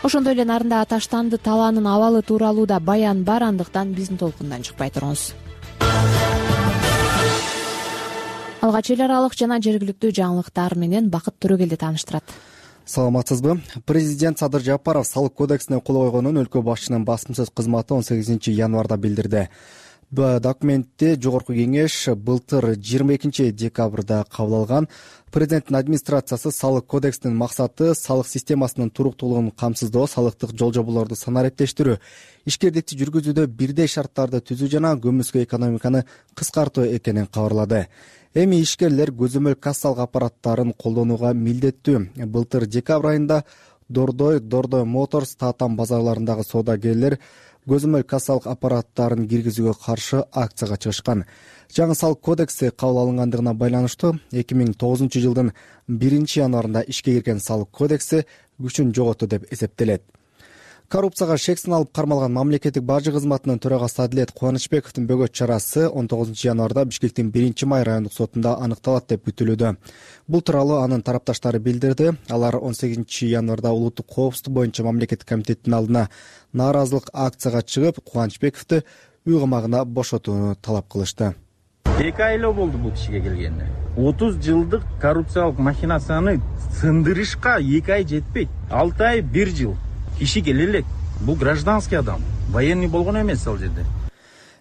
Ошондой эле нарындагы Таштанды талаанын абалы тууралуу да баян бар, андыктан биздин толкундан чыкпай туруңуз. Алгач эл аралык жана жергиликтүү жаңылыктар менен Бакыт Төрөгелди тааныштырат. Саламатсызбы? Президент Садыр Жапаров салык кодексине кол койгонун өлкө башчынын басым сөз кызматы 18-январда билдирди. Документте Жогорку кеңеш былтыр 22 декабрда кабыл алган. Президенттин администрациясы салык кодексинин максаты салык системасынын туруктуулугун камсыздоо, салыктык жолжоболорду санариптештирүү, ишкердикти жүргүзүүдө бирдей шарттарды түзүү жана көмүскө экономиканы кыскартуу экенин кабарлады. Эми ишкерлер көзөмөл кассалык аппараттарын колдонууга милдеттүү. Былтыр декабрь айында Дордой Моторс Татам базарларындагы соодагерлер көзөмөл кассалык аппараттарын киргизүүгө каршы акцияга чыгышкан. Жаңы салык кодекси кабыл алынгандыгына байланыштуу 2009 жылдын 1-январында ишке кирген салык кодекси күчүн жоготту деп эсептелет. Коррупцияга шексин алып кармалган мамлекеттик бажы кызматынын төрагасы Адилет Кубанычбековдун бөгөт чарасы 19-январда Бишкектин 1-май райондук сотунда аныкталат деп күтүлүүдө. Бул тууралуу анын тарапташтары билдирди. Алар 18-январда улуттук коопсуздук боюнча мамлекеттик комитеттин алдына нааразылык акцияга чыгып, Кубанычбековду үй камагына бошотууну талап кылышты. 2 айлоо болду бул кишиге келгенине. 30 жылдык коррупциялык махинацияны сындырышка 2 ай жетпейт. 6 ай 1 жыл. Киши келе элек. Бул гражданский адам. Военный болгон эмес ал жерде.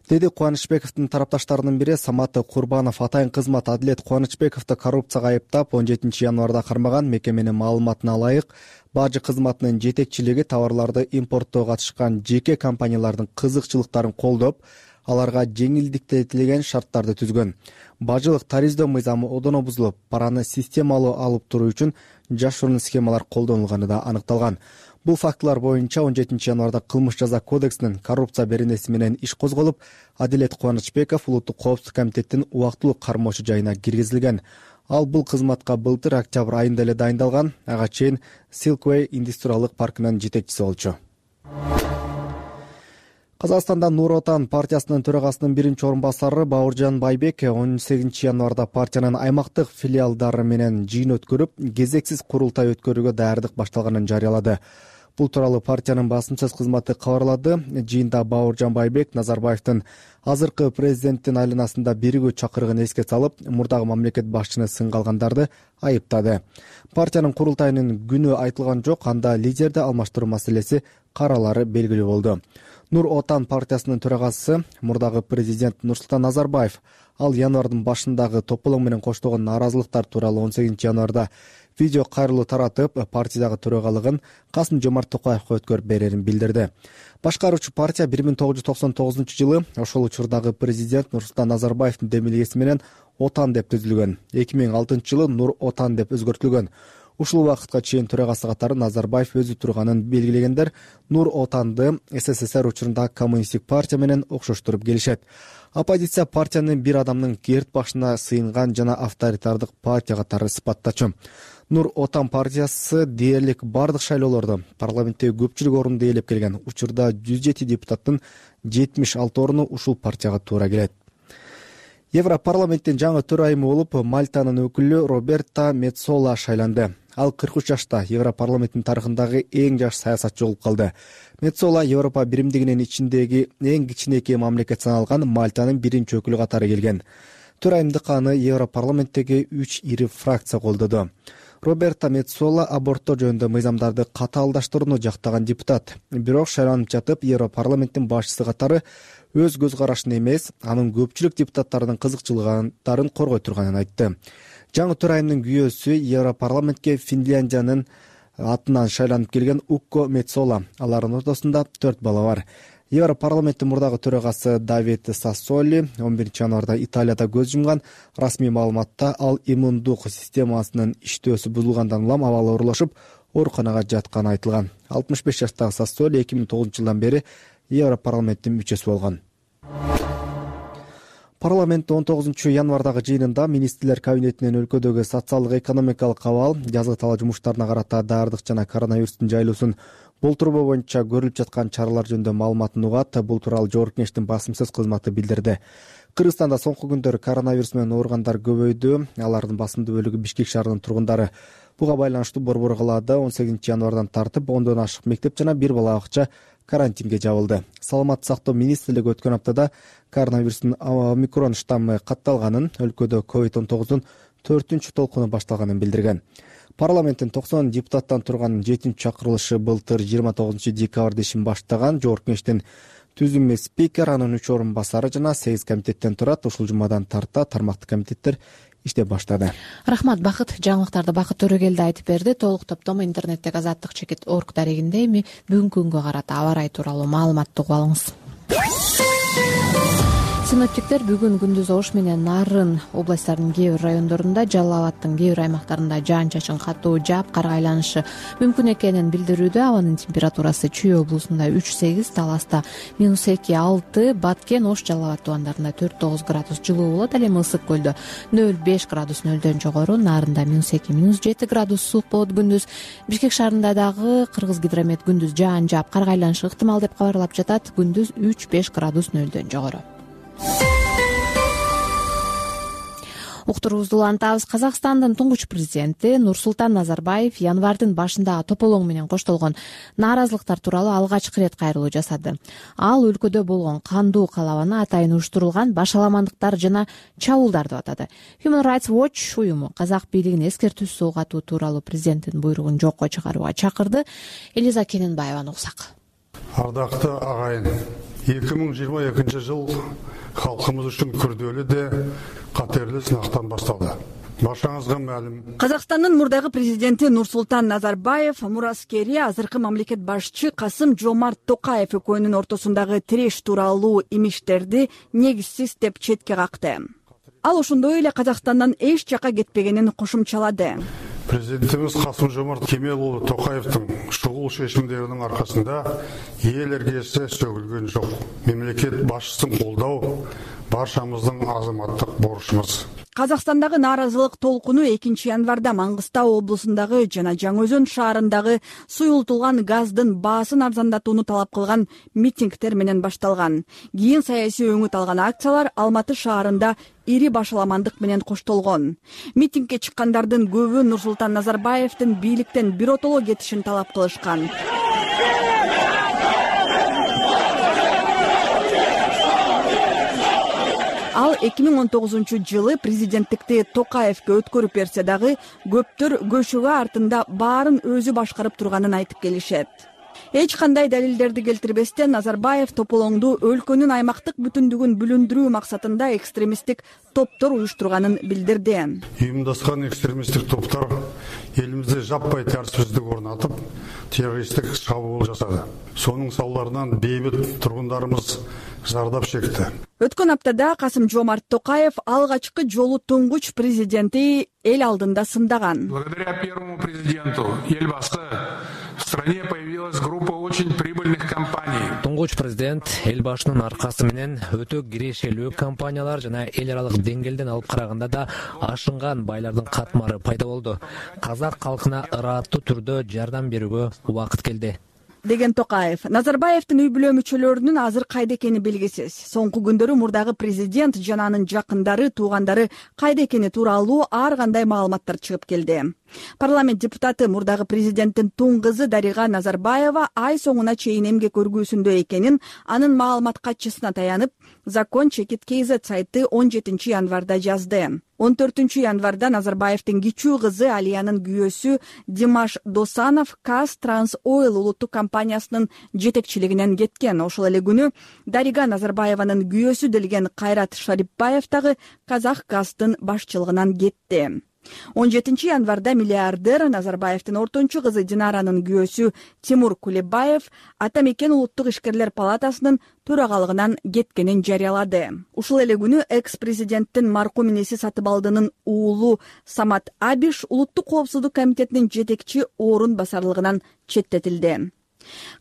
Деди Кубанычбековдун тарапташтарынын бири Самат Курбанов. Атайын кызмат Адилет Кубанычбековду коррупцияга айыптап 17-январда кармаган. Мекеменин маалыматына ылайык, бажы кызматынын жетекчилиги товарларды импорттоого катышкан жеке компаниялардын кызыкчылыктарын колдоп, аларга жеңилдиктетилген шарттарды түзгөн. Бажылык тарифтөө мыйзамы одоно бузулуп, параны системалуу алып туруу үчүн жашыруун схемалар колдонулганы да аныкталган. Бул фактылар боюнча 17-январда кылмыш жаза кодексинин коррупция беренеси менен иш козголуп, Адилет Кубанычбеков улуттук коопсуздук комитеттин убактылуу кармоочу жайына киргизилген. Ал бул кызматка былтыр октябрь айында эле дайындалган. Ага чейин Silkway индустриалдык паркынын жетекчиси болчу. Казакстанда Нур Отан партиясынын төрагасынын 1-орунбасары Бауыржан Байбек 18-январда партиянын аймактык филиалдары менен жыйын өткөрүп, кезексиз курултай өткөрүүгө даярдык башталганын жарыялады. Бул тууралуу партиянын басым сөз кызматы кабарлады. Жыйында Бауыржан Байбек Назарбаевдин азыркы президенттин айланасында биригүү чакырыгын эске салып, мурдагы мамлекет башчыны сынга алгандарды айыптады. Партиянын курултайынын күнү айтылган жок, анда лидерди алмаштыруу маселеси каралары белгилүү болду. Нур Отан партиясынын төрагасы мурдагы президент Нурсултан Назарбаев ал январдын башындагы тополоң менен коштолгон нааразылыктар тууралуу 18 январда видео кайрылуу таратып, партиядагы төрагалыгын Касым-Жомарт Токаевга өткөрүп берерин билдирди. Башкаруучу партия 1999-жылы ошол учурдагы президент Нурсултан Назарбаевдин демилгеси менен Отан деп түзүлгөн. 2006-жылы Нур Отан деп өзгөртүлгөн. Ушул убакытка чейин төрагасы катары Назарбаев өзү турганын белгилегендер Нур Отанды СССР учурундагы коммунисттик партия менен окшоштуруп келишет. Оппозиция партияны бир адамдын керт башына сыйынган жана авторитардык партия катары сыпаттачу. Нур Отан партиясы дээрлик бардык шайлоолордо парламенттеги көпчүлүк орунду ээлеп келген. Учурда 107 депутаттын 76 оруну ушул партияга туура келет. Европарламенттин жаңы төрайымы болуп Мальтанын өкүлү Роберта Меццола шайланды. Ал 43 жашта Европарламенттин тарыхындагы эң жаш саясатчы болуп калды. Меццола Европа биримдигинин ичиндеги эң кичинекей мамлекет саналган Мальтанын биринчи өкүлү катары келген. Төрайымдык аны Европарламенттеги 3 ири фракция колдоду. Роберта Меццола аборттоо жөнүндө мыйзамдарды катаалдаштырууну жактаган депутат. Бирок шайланып жатып, Европарламенттин башчысы катары өз көз карашын эмес, анын көпчүлүк депутаттарынын кызыкчылыктарын коргой турганын айтты. Жаңы төрайымдын күйөөсү Европарламентке Финляндиянын атынан шайланып келген Укко Меццола. Алардын ортосунда 4 бала бар. Европарламенттин мурдагы төрагасы Давид Сассоли 11 январда Италияда көз жумган. Расмий маалыматта ал иммундук системасынын иштөөсү бузулгандан улам абалы оорулашып, ооруканага жатканы айтылган. 65 жаштагы Сассоли 2009-жылдан бери Европарламенттин мүчөсү болгон. Парламент 19 январдагы жыйынында министрлер кабинетинен өлкөдөгү социалдык экономикалык абал, жазгы талаа жумуштарына карата даярдык жана коронавирустун жайылуусун болтурбоо боюнча көрүлүп жаткан чаралар жөнүндө маалыматын угат. Бул тууралуу Жогорку Кеңештин басымсыз кызматы билдирди. Кыргызстанда соңку күндөрү коронавирус менен ооругандар көбөйдү. Алардын басымдуу бөлүгү Бишкек шаарынын тургундары. Буга байланыштуу Борбор калаада 18 январдан тартып 10дон ашык мектеп жана бир бала бакча карантинге жабылды. Саламаттык сактоо министрлиги өткөн аптада коронавирустун омикрон штаммы катталганын, өлкөдө COVID-19-дун 4-чү толкуну башталганын билдирген. Парламенттин 90 депутаттан турган 7-чү чакырылышы былтыр 29 декабрда ишин баштаган. Жогорку Кеңештин түзүмө спикер, анын 3 орун басары жана 8 комитеттен турат. Ушул жумадан тарта тармактык комитеттер иштеп баштады. Рахмат, Бакыт. Жаңылыктарды Бакыт Төрөгелди айтып берди. Толук топтомо интернеттеги azattik.org дарегинде. Эми бүгүнкү күнгө карата аба ырайы тууралуу маалыматты угуп алыңыз. Синоптиктер бүгүн күндүз Ош менен Нарын областтарынын кээ бир райондорунда, Жалал Абадтын кээ бир аймактарында жаан-чачын катуу жаап, кар айланышы мүмкүн экенин билдирүүдө. Абанын температурасы Чүй облусунда 3-8, Таласта -2-6, Баткен, Ош, Жалал Абад тубандарында 4-9 градус жылуу болот. Ал эми Ысык көлдө 0-5 градус нөлдөн жогору, Нарында -2-7 градус суук болот күндүз. Бишкек шаарында дагы Кыргыз гидромет күндүз жаан жаап, кар айланышы ыктымал деп кабарлап жатат. Күндүз 3-5 градус нөлдөн жогору. Уктуруубузду улантабыз. Казакстандын туңгуч президенти Нурсултан Назарбаев январдын башында тополоң менен коштолгон нааразылыктар тууралуу алгачкы ирет кайрылуу жасады. Ал өлкөдө болгон кандуу калабаны атайын уюштурулган башаламандыктар жана чабуулдар деп атады. Human Rights Watch уюму казак бийлигин эскертүүсүз угатуу тууралуу президенттин буйругун жокко чыгарууга чакырды. Элиза Кененбаеваны уксак. Ардактуу агайын, 2022 жыл халкыбыз үчүн күрдөлүү де катерлүү сынактан башталды. Башыңызга маалым. Казакстандын мурдагы президенти Нурсултан Назарбаев, мураскери азыркы мамлекет башчы Касым-Жомарт Токаев экөөнүн ортосундагы тиреш тууралуу имиштерди негизсиз деп четке какты. Ал ошондой эле Казакстандан эч жака кетпегенин кошумчалады. Президентimiz Касым-Жомарт Кемелұлы Токаевтың шұғыл шешімдерінің арқасында ел іргесі сөгілген жоқ. Мемлекет башчысын колдоо баршамыздың азаматтык борчумуз. Казакстандагы нааразылык толкуну 2 январда Маңгыстау облусундагы жана Жаңы-Өзөн шаарындагы суюлтулган газдын баасын арзандатууну талап кылган митингдер менен башталган. Кийин саясий өңүт алган акциялар Алматы шаарында ири башаламандык менен коштолгон. Митингге чыккандардын көбү Нурсултан Назарбаевдин бийликтен биротоло кетишин талап кылышкан. 2019-жылы президенттикти Токаевке өткөрүп берсе дагы көптөр көчөгө артында баарын өзү башкарып турганын айтып келишет. Эч кандай далилдерди келтирбестен Назарбаев тополоңду өлкөнүн аймактык бүтүндүгүн бүлүндүрүү максатында экстремисттик топтор уюштурганын билдирди. Уюмдашкан экстремисттик топтор элибизде жаппай тартипсиздик орнотуп, террористтик чабуул жасады. Сонун салдарынан бейбит тургундарыбыз зардап чекти. Өткөн аптада Касым-Жомарт Токаев алгачкы жолу туңгуч президенти эл алдында сындаган. Благодаря первому президенту Елбасы в стране появилась группа очень прибыльных компаний. Туңгуч президент Элбашынын аркасы менен өтө кирешелүү компаниялар жана эл аралык деңгээлден алып караганда да ашынган байлардын катмары пайда болду. Казак калкына ырааттуу түрдө жардам берүүгө убакыт келди, деген Токаев. Назарбаевдин үй бүлө мүчөлөрүнүн азыр кайда экени белгисиз. Соңку күндөрү мурдагы президент жана анын жакындары, туугандары кайда экени тууралуу ар кандай маалыматтар чыгып келди. Парламент депутаты мурдагы президенттин туң кызы Дарига Назарбаева ай соңуна чейин эмгек көргүүсүндө экенин анын маалымат катчысына таянып, Закон Чекит КЗ сайты 17 январда жазды. 14 январда Назарбаевдин кичүү кызы Алиянын күйөөсү Димаш Досанов Каз Транс Ойл улуттук компаниясынын жетекчилигинен кеткен. Ошол эле күнү Дарига Назарбаеванын күйөөсү делген Кайрат Шарипбаев дагы Казах Газдын башчылыгынан кетти. 17 январда миллиардер Назарбаевдин ортончу кызы Динаранын күйөөсү Тимур Кулебаев Ата мекен улуттук ишкерлер палатасынын төрагалыгынан кеткенин жарыялады. Ушул эле күнү экс-президенттин маркум инеси Сатыбалдынын уулу Самат Абиш улуттук коопсуздук комитетинин жетекчи орун басарлыгынан четтетилди.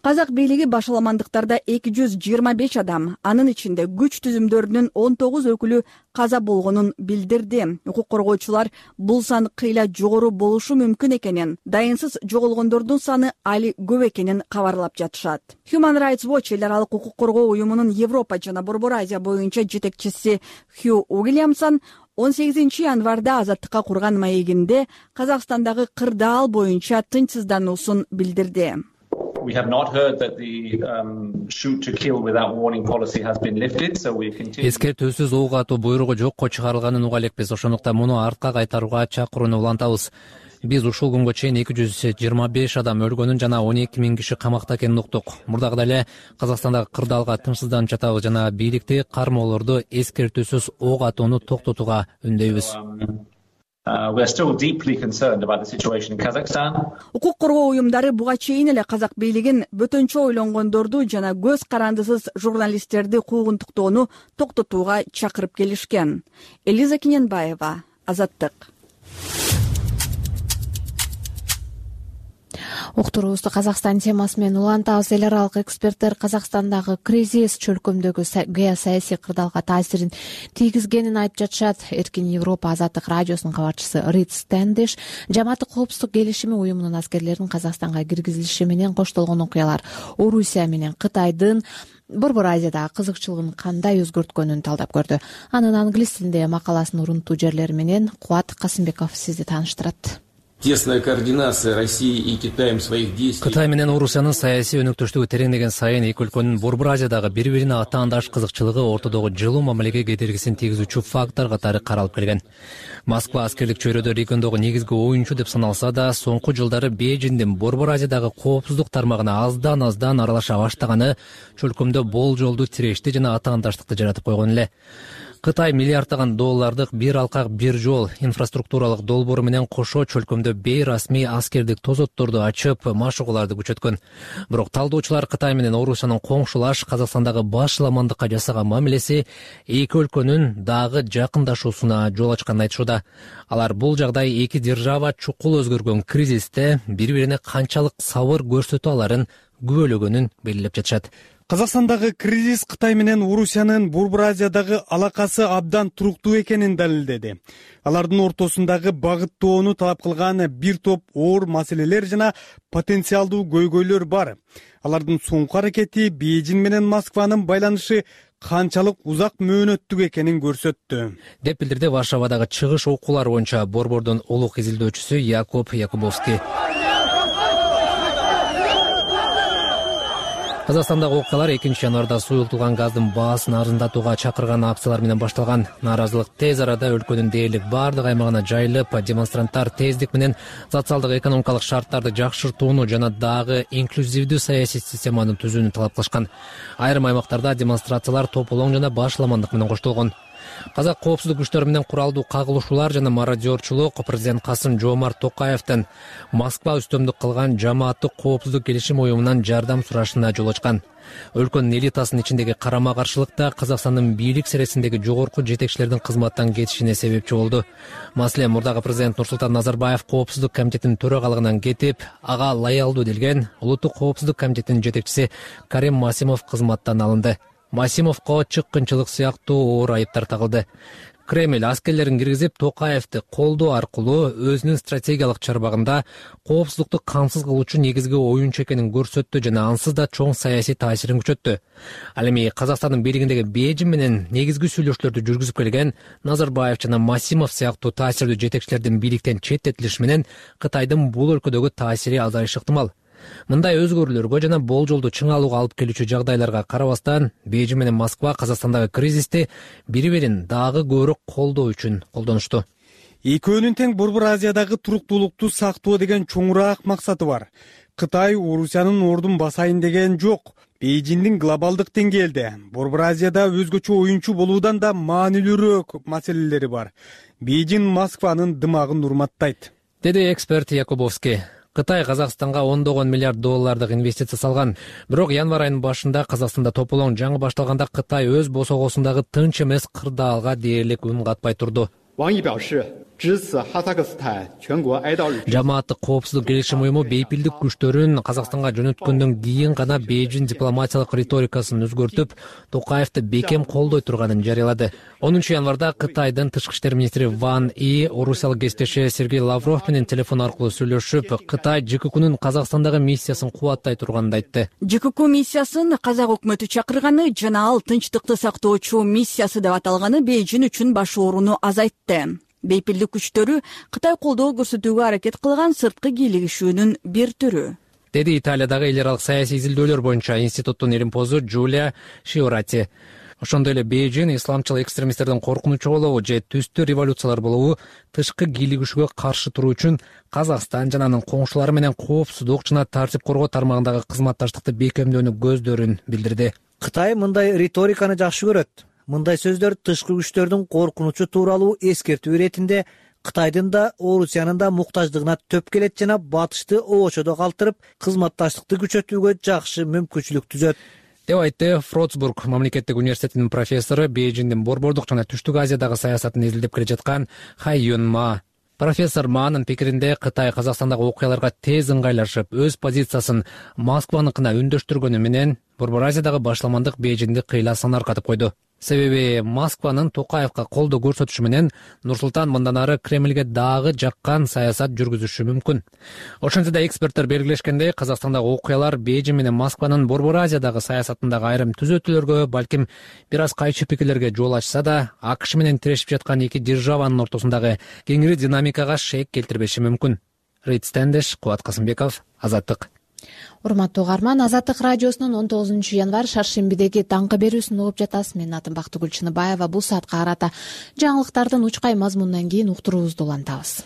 Казак бийлиги башаламандыктарда 225 адам, анын ичинде күч түзүмдөрүнүн 19 өкүлү каза болгонун билдирди. Укук коргоочулар бул сан кыйла жогору болушу мүмкүн экенин, дайынсыз жоголгондордун саны али көп экенин кабарлап жатышат. Human Rights Watch эл аралык укук коргоо уюмунун Европа жана Борбор Азия боюнча жетекчиси Хью Уильямсон 18 январда Азаттыкка курган маегинде Казакстандагы кырдаал боюнча тынчсыздануусун билдирди. We have not heard that the shoot to kill without warning policy has been lifted, so we continue. Эскертүүсүз ок атуу буйругу жокко чыгарылганын уга элекпиз. Ошондуктан муну артка кайтарууга чакырууну улантабыз. Биз ушул күнгө чейин 225 адам өлгөнүн жана 12 000 киши камакта экенин уктук. Мурдагыдай эле Казакстандагы кырдаалга тынчсызданып жатабыз жана бийликти кармоолорду эскертүүсүз ок атууну токтотууга үндөйбүз. We are still deeply concerned about the situation in Kazakhstan. Укук коргоо уюмдары буга чейин эле казак бийлигин бөтөнчө ойлонгондорду жана көз карандысыз журналисттерди куугунтуктоону токтотууга чакырып келишкен. Элиза Киненбаева, Азаттык. Уктуруубузду Казакстан темасы менен улантабыз. Эл аралык эксперттер Казакстандагы кризис чөлкөмдөгү геосаясий кырдаалга таасирин тийгизгенин айтып жатышат. Эркин Европа Азаттык радиосунун кабарчысы Рид Стэндиш жамааттык коопсуздук келишими уюмунун аскерлеринин Казакстанга киргизилиши менен коштолгон окуялар Орусия менен Кытайдын Борбор Азиядагы кызыкчылыгын кандай өзгөрткөнүн талдап көрдү. Анын англис тилинде макаласын урунтуу жерлери менен Кубат Касымбеков сизди тааныштырат. Тесная координация России и Китаем своих действий. Кытай менен Орусиянын саясий өнөктөштүгү тереңдеген сайын эки өлкөнүн Борбор Азиядагы бири-бирине атаандаш кызыкчылыгы ортодогу жылуу мамилеге кедергисин тийгизүүчү фактор катары каралып келген. Москва аскерлик чөйрөдө региондогу негизги оюнчу деп саналса да, соңку жылдары Бейжиңдин Борбор Азиядагы коопсуздук тармагына аздан аралаша баштаганы чөлкөмдө болжолдуу тирешти жана атаандаштыкты жаратып койгон эле. Кытай миллиарддаган доллардык бир алкак бир жол инфраструктуралык долбоору менен кошо чөлкөмдө бейрасмий аскердик тозотторду ачып, машыгууларды күчөткөн. Бирок талдоочулар Кытай менен Орусиянын коңшулаш Казакстандагы башаламандыкка жасаган мамилеси эки өлкөнүн дагы жакындашуусуна жол ачканын айтышууда. Алар бул жагдай эки держава чукул өзгөргөн кризисте бири-бирине канчалык сабыр көрсөтө аларын күбөлөгөнүн белгилеп жатышат. Казакстандагы кризис Кытай менен Орусиянын Борбор Азиядагы алакасы абдан туруктуу экенин далилдеди. Алардын ортосундагы багыттоону талап кылган бир топ оор маселелер жана потенциалдуу көйгөйлөр бар. Алардын соңку аракети Бейжиң менен Москванын байланышы канчалык узак мөөнөттүк экенин көрсөттү, деп билдирди Варшавадагы чыгыш окуулар боюнча Борбордун улук изилдөөчүсү Якуб Якубовский. Казакстандагы окуялар 2-январда суюлтулган газдын баасын арзандатууга чакырган акциялар менен башталган. Нааразылык тез арада өлкөнүн дээрлик баардык аймагына жайылып, демонстранттар тездик менен социалдык экономикалык шарттарды жакшыртууну жана дагы инклюзивдүү саясий системаны түзүүнү талап кылышкан. Айрым аймактарда демонстрациялар тополоң жана башламандык менен коштолгон. Казак коопсуздук күчтөрү менен куралдуу кагылышуулар жана мародерчулук президент Касым-Жомарт Токаевдин Москва үстөмдүк кылган жамааттык коопсуздук келишим уюмунан жардам сурашына жол ачкан. Өлкөнүн элитасынын ичиндеги карама-каршылык да Казакстандын бийлик сересиндеги жогорку жетекчилердин кызматтан кетишине себепчи болду. Маселен, мурдагы президент Нурсултан Назарбаев коопсуздук комитетинин төрагалыгынан кетип, ага лаялдуу делген Улуттук коопсуздук комитетинин жетекчиси Карим Масимов кызматтан алынды. Масимовго чыккынчылык сыяктуу оор айыптар тагылды. Кремль аскерлерин киргизип, Токаевди колдоо аркылуу өзүнүн стратегиялык чарбагында коопсуздукту камсыз кылуучу негизги оюнчу экенин көрсөттү жана ансыз да чоң саясий таасирин күчөттү. Ал эми Казакстандын бийлигиндеги Бейжин менен негизги сүйлөшүүлөрдү жүргүзүп келген Назарбаев жана Масимов сыяктуу таасирдүү жетекчилердин бийликтен четтетилиши менен Кытайдын бул өлкөдөгү таасири азайышы ыктымал. Мындай өзгөрүүлөргө жана болжолду чың алууга алып келүүчү жагдайларга карабастан, Бейжин менен Москва Казакстандагы кризисти бири-бирин дагы көбүрөөк колдоо үчүн колдонушту. Экөөнүн тең Борбор Азиядагы туруктуулукту сактоо деген чоңураак максаты бар. Кытай Орусиянын ордун басайын деген жок. Бейжиндин глобалдык деңгээлде Борбор Азияда өзгөчө оюнчу болуудан да маанилүүрөөк маселелери бар. Бейжин Москванын дымагын урматтайт, деди эксперт Якубовский. Кытай Казакстанга $10 миллиард инвестиция салган. Бирок январь айынын башында Казакстанда тополоң жаңы башталганда Кытай өз босогосундагы тынч эмес кырдаалга дээрлик үн катпай турду. Жамааттык коопсуздук келишим уюму бейпилдик күчтөрүн Казакстанга жөнөткөндөн кийин гана Бейжин дипломатиялык риторикасын өзгөртүп, Токаевди бекем колдой турганын жарыялады. 10 январда Кытайдын тышкы иштер министри Ван И орусиялык кесиптеши Сергей Лавров менен телефон аркылуу сүйлөшүп, Кытай ЖККнын Казакстандагы миссиясын кубаттай турганын айтты. ЖКК миссиясын казак өкмөтү чакырганы жана ал тынчтыкты сактоочу миссиясы деп аталганы Бейжин үчүн баш ооруну азайтты. Бейпилдик күчтөрү Кытай колдоо көрсөтүүгө аракет кылган сырткы кийлигишүүнүн бир түрү, деди Италиядагы эл аралык саясий изилдөөлөр боюнча институттун илимпозу Джулия Шиорати. Ошондой эле Бейжин исламчыл экстремисттердин коркунучу болобу же түстүү революциялар болобу тышкы кийлигишүүгө каршы туруу үчүн Казакстан жана анын коңшулары менен коопсуздук жана тартип коргоо тармагындагы кызматташтыкты бекемдөөнү көздөрүн билдирди. Кытай мындай риториканы жакшы көрөт. Мындай сөздөр тышкы күчтөрдүн коркунучу тууралуу эскертүү иретинде Кытайдын да Орусиянын да муктаждыгына төп келет жана батышты оочодо калтырып, кызматташтыкты күчөтүүгө жакшы мүмкүнчүлүк түзөт, деп айтты Фротсбург мамлекеттик университетинин профессору, Бейжиндин борбордук жана түштүк Азиядагы саясатын изилдеп келе жаткан Хай Юн Ма. Профессор Маанын пикиринде Кытай Казакстандагы окуяларга тез ыңгайлашып, өз позициясын Москваныкына үндөштүргөнү менен Борбор Азиядагы башламандык Бейжинди кыйласынан аркатып койду. Себеби Москванын Токаевга колдоо көрсөтүшү менен Нурсултан мындан ары Кремльге дагы жаккан саясат жүргүзүшү мүмкүн. Ошентсе да эксперттер белгилешкендей, Казакстандагы окуялар Бейжин менен Москванын Борбор Азиядагы саясатындагы айрым түзөтүүлөргө, балким бир аз кайчы пикирлерге жол ачса да, АКШ менен тирешип жаткан эки державанын ортосундагы кеңири динамикага шек келтирбеши мүмкүн. Рейд Стендеш, Кубат Касымбеков, Азаттык. Урматтуу угарман, Азаттык радиосунун 19 январь шаршембидеги таңкы берүүсүн угуп жатасыз. Менин атым Бактыгүл Чыныбаева. Бул саатка карата жаңылыктардын учкай мазмунунан кийин уктуруубузду улантабыз.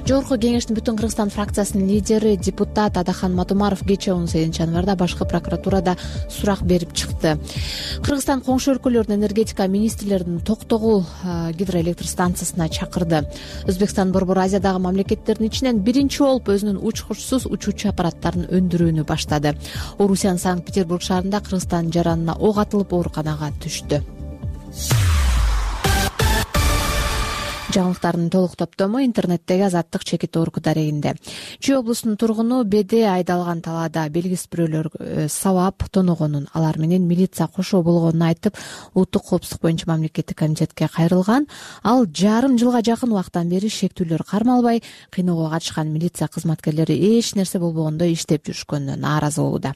Жогорку кеңештин Бүтүн Кыргызстан фракциясынын лидери депутат Адахан Мадумаров кечээ 18 январда башкы прокуратурада сурак берип чыкты. Кыргызстан коңшу өлкөлөрдүн энергетика министрлерин Токтогул гидроэлектр станциясына чакырды. Өзбекстан Борбор Азиядагы мамлекеттердин ичинен биринчи болуп өзүнүн учкучсуз учуучу аппараттарын өндүрүүнү баштады. Орусиянын Санкт-Петербург шаарында Кыргызстан жаранына ок атылып ооруканага түштү. Жаңылыктардын толук топтому интернеттеги Азаттык чекит оргу дарегинде. Чүй облусунун тургуну Беде айдалган талаада белгисиз бирөөлөр сабап тоногонун, алар менен милиция кошо болгонун айтып, улуттук коопсуздук боюнча мамлекеттик комитетке кайрылган. Ал жарым жылга жакын убакыттан бери шектүүлөр кармалбай, кыйноого катышкан милиция кызматкерлери эч нерсе болбогондой иштеп жүрүшкөнүнө нааразы болууда.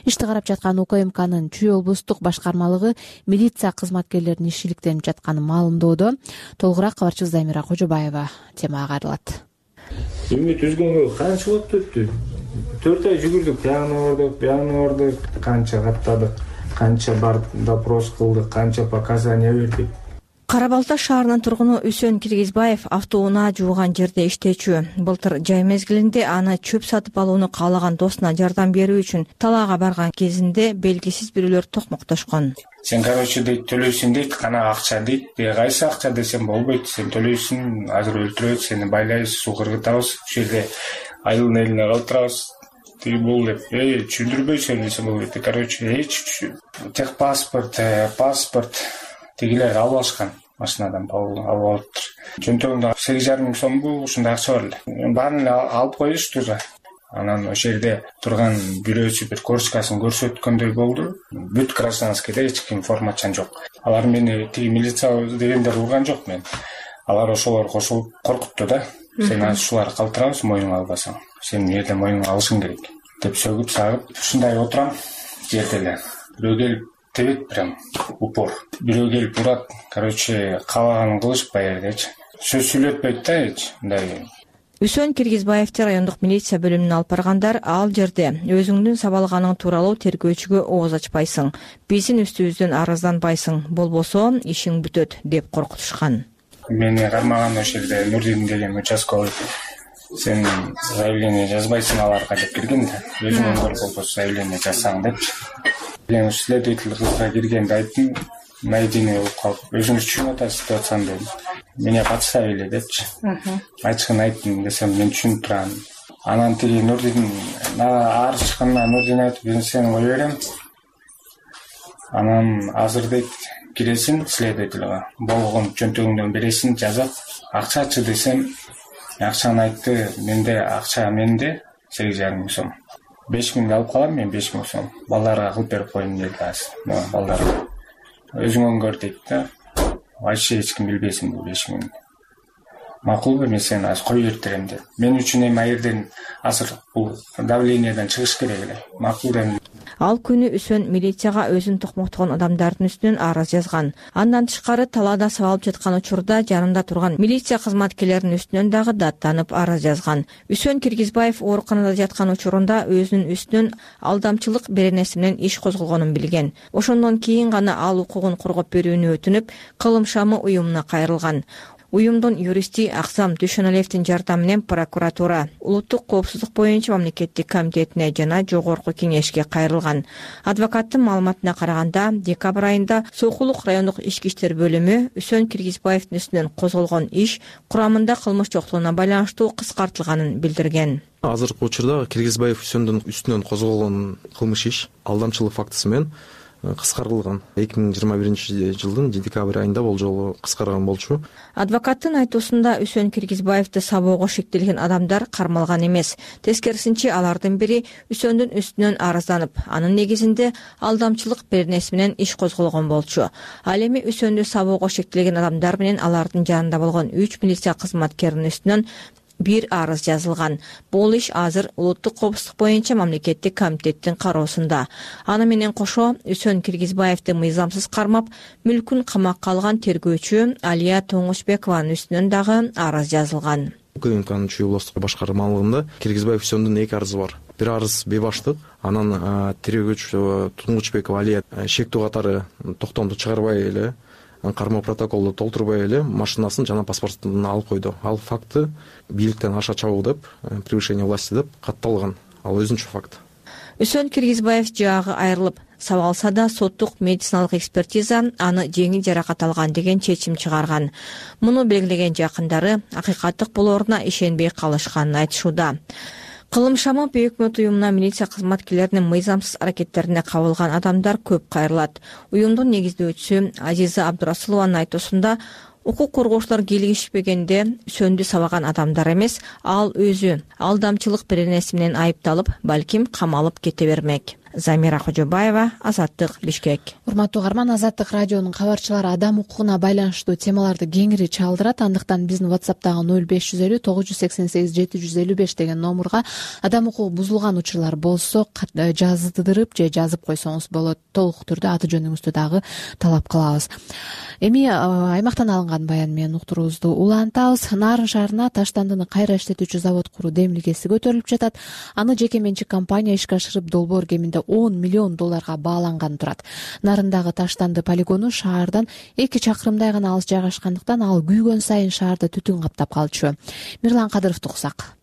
Ишти карап жаткан УКМКнын Чүй облустук башкармалыгы милиция кызматкерлеринин иши иликтенип жатканын маалымдоодо. Толугураак кабарчыбыз Замира Кожобаева темага кайрылат. Үмүт үзгөнгө канча убакыт өттү? 4 ай жүгүрдүк, бягына бардык, канча каттадык, канча барып допрос кылдык, канча показания бердик. Кара Балта шаарынын тургуну Үсөн Киргизбаев автоунаа жууган жерде иштечү. Былтыр жай мезгилинде аны чөп сатып алууну каалаган досуна жардам берүү үчүн талаага барган кезинде белгисиз бирөөлөр токмоктошкон. Сен, дейт, төлөйсүң дейт, кана акча дейт. Кайсы акча десем болбойт. Сен төлөйсүң, азыр өлтүрөбүз, сени байлайбыз, суу кыргытабыз, ушул жерде айылдын элине калтырабыз. Бул деп, түшүндүрбөйсүң десем болбойт. Техпаспорт, паспорт тегилер алып алышкан. Машинадан алып алыптыр. Чөнтөгүндө 8,5 миң сомго ушундай акча бар эле. Баарын алып коюшту да. Анан ошол жерде турган бирөөсү бир корочкасын көрсөткөндөй болду. Бүт гражданскийде эч ким формачан жок. Алар мени тиги милиция дегендер урган жок мен. Алар ошолор кошулуп коркутту да. Сен ушулар калтырабыз, моюңа албасаң. Сен жерде моюңа алышың керек деп сөгүп сагып ушундай отурам жерде эле. Бирөө келип тебет прям упор. Бирөө келип урат. Каалаганын кылышпай жердечи. Сөз сүйлөтпөйт да эч. Мындай Үсөн Киргизбаевди райондук милиция бөлүмүнө алып баргандар ал жерде өзүңдүн сабалганың тууралуу тергөөчүгө ооз ачпайсың, биздин үстүбүздөн арызданбайсың, болбосо ишиң бүтөт деп коркутушкан. Мени кармаган ошол жерде Нурдин деген участковый сен заявление жазбайсың аларга деп кирген да. Өзүң болбосо заявление жазсаң депчи. Мен следователь кызга киргенде айттым, найдение болуп калып, өзүңүз түшүнүп атасыз ситуацияны дедим. Меня подставили депчи. Ачыгын айттым десем, мен түшүнүп турам. Анан тиги Нурдин арыз чыккандан Нурдин айтып, мен сени кое берем. Анан азыр дейт, киресиң следовательга, болгон чөнтөгүңдөн бересиң, жазап, акчачы десем, акчаны айтты, менде акча менде 8,5 миң сом. 5 миңди алып калам мен, 5 миң сом. Балдарга кылып берип коеюн деди азыр. Балдарга. Өзүң өңгөр дейт да. Вообще эч ким билбесин бул 5 миң. Макулбу, мен сени азыр кое берем деп. Мен үчүн эми айерден азыр бул давлениеден чыгыш керек эле. Макул дедим. Ал күнү Үсөн милицияга өзүн токмоктогон адамдардын үстүнөн арыз жазган. Андан тышкары талаада сабалып жаткан учурда жанында турган милиция кызматкерлеринин үстүнөн дагы даттанып арыз жазган. Үсөн Киргизбаев ооруканада жаткан учурунда өзүнүн үстүнөн алдамчылык беренеси менен иш козголгонун билген. Ошондон кийин гана ал укугун коргоп берүүнү өтүнүп, кылым шамы уюмуна кайрылган. Уюмдун юристи Аксам Дүйшөналиевдин жардамы менен прокуратура, улуттук коопсуздук боюнча мамлекеттик комитетине жана жогорку кеңешке кайрылган. Адвокаттын маалыматына караганда, декабрь айында Сокулук райондук ички иштер бөлүмү Үсөн Киргизбаевдин үстүнөн козголгон иш курамында кылмыш жоктугуна байланыштуу кыскартылганын билдирген. Азыркы учурда Киргизбаев Үсөндүн үстүнөн козголгон кылмыш иш алдамчылык фактысы менен кыскартылган. 2021 жылдын декабрь айында бул жолу кыскарган болчу. Адвокаттын айтуусунда Үсөн Киргизбаевди сабоого шектелген адамдар кармалган эмес. Тескерисинче алардын бири Үсөндүн үстүнөн арызданып, анын негизинде алдамчылык беренеси менен иш козголгон болчу. Ал эми Үсөндү сабоого шектелген адамдар менен алардын жанында болгон 3 милиция кызматкеринин үстүнөн бир арыз жазылган. Бул иш азыр улуттук коопсуздук боюнча мамлекеттик комитеттин кароосунда. Аны менен кошо Үсөн Киргизбаевди мыйзамсыз кармап, мүлкүн камакка алган тергөөчү Алия Тоңушбекованын үстүнөн дагы арыз жазылган. УКМКнын Чүй облустук башкармалыгында Киргизбаев Үсөндүн 2 арызы бар. Бир арыз бейбаштык, анан тергөөчү Туңгучбекова Алия шектүү катары токтомду чыгарбай эле, кармоо протоколду толтурбай эле машинасын жана паспортун алып койду. Ал факты бийликтен аша чабуу деп, превышение власти деп катталган. Ал өзүнчө факт. Үсөн Киргизбаев жаагы айрылып, сабалса да соттук медициналык экспертиза аны жеңил жаракат алган деген чечим чыгарган. Муну белгилеген жакындары акыйкаттык болоруна ишенбей калышканын айтышууда. Кылым шамы өкмөт уюмуна милиция кызматкерлеринин мыйзамсыз аракеттерине кабылган адамдар көп кайрылат. Уюмдун негиздөөчүсү Азиза Абдурасулованын айтуусунда, укук коргоочулар келишпегенде Үсөндү сабаган адамдар эмес, ал өзү алдамчылык беренеси менен айыпталып, балким камалып кете бермек. Замира Кожобаева, Азаттык, Бишкек. Урматтуу угарман, Азаттык радионун кабарчылары адам укугуна байланыштуу темаларды кеңири чалдырат. Андыктан биздин WhatsApp'тагы 0550 988 755 деген номурга адам укугу бузулган учурлар болсо жаздырып же жазып койсоңуз болот. Толук түрдө аты жөнүңүздү дагы талап кылабыз. Эми аймактан алынган баян менен уктуруубузду улантабыз. Нарын шаарына таштандыны кайра иштетүүчү завод куруу демилгеси көтөрүлүп жатат. Аны жеке менчик компания ишке ашырып, долбоор кеминде $10 миллион бааланган турат. Нарындагы таштанды полигону шаардан 2 чакырымдай гана алыс жайгашкандыктан ал күйгөн сайын шаарды түтүн каптап калчу. Мирлан Кадыровду уксак.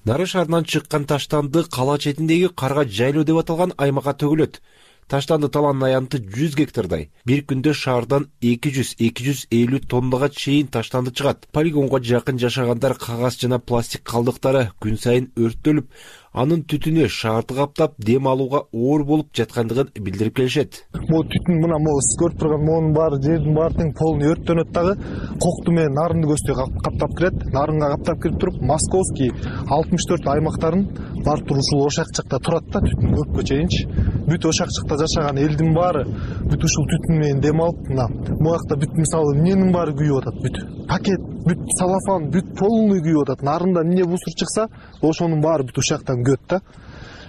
Нарын шаарынан чыккан таштанды кала четиндеги карга жайлоо деп аталган аймакка төгүлөт. Таштанды таланын аянты 100 гектардай. Бир күндө шаардан 200-250 тоннага чейин таштанды чыгат. Полигонго жакын жашагандар кагаз жана пластик калдыктары күн сайын өрттөлүп, анын түтүнү шаарды каптап, дем алууга оор болуп жаткандыгын билдирип келишет. Бул түтүн мына сиз көрүп турган монун баары, жердин баары полный өрттөнөт дагы. Кокту менен нарынды көздөй каптап кирет. Нарынга каптап кирип туруп, Московский 64 аймактарын барып туруп ушул ошакчыкта турат да, түтүн көпкө чейинчи. Бүт ошакчыкта жашаган элдин баары бүт ушул түтүн менен дем алып, мына буякта бүт мисалы эмненин баары күйүп атат, бүт пакет, бүт салафан, бүт полный күйүп атат. Нарында эмне бусур чыкса, ошонун баары бүт ушактан күйөт да.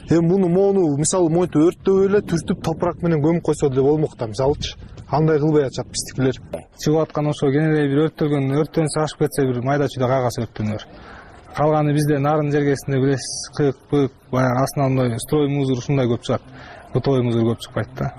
Эми мону мисалы монтип өрттөп эле түртүп топурак менен көмүп койсо деле болмок да, мисалычы. Андай кылбай атышат биздикилер. Чыгып аткан ошо кенедей бир өрттөлгөн, өрттөнсө ашып кетсе бир майда чүйдө кагаз өрттөнөр. Калганы бизде нарын жергесинде билесиз, кык, баягы астынан мындай строй мусор ушундай көп чыгат. Бутовой мусор көп чыкпайт да.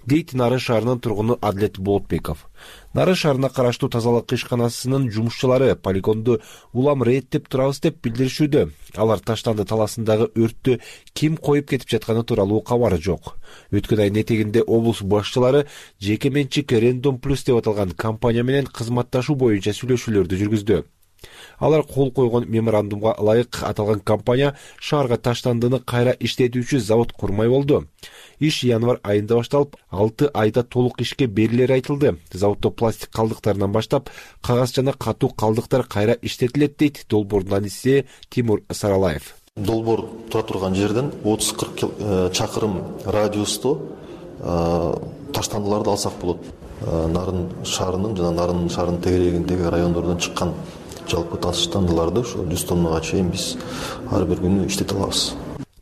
Дейт Нарын шаарынын тургуну Адлет Болотбеков. Нарын шаарына караштуу тазалык ишканасынын жумушчулары полигонду улам реттеп турабыз деп билдиришүүдө. Алар таштанды таласындагы өрттү ким коюп кетип жатканы тууралуу кабары жок. Өткөн айдын этегинде облус башчылары жеке менчик Random Plus деп аталган компания менен кызматташуу боюнча сүйлөшүүлөрдү жүргүздү. Алар кол койгон меморандумга ылайык аталган компания шаарга таштандыны кайра иштетүүчү завод курмай болду. Иш январь айында башталып, 6 айда толук ишке берилери айтылды. Заводдо пластик калдыктарынан баштап, кагаз жана катуу калдыктар кайра иштетилет дейт долбоордун аниси Тимур Саралаев. Долбоор тура турган жерден 30-40 чакырым радиусто таштандыларды алсак болот. Нарын шаарынын жана Нарын шаарынын тегерегиндеги райондордон чыккан жалпы таштандыларды ошо 100 тоннага чейин биз ар бир күнү иштете алабыз.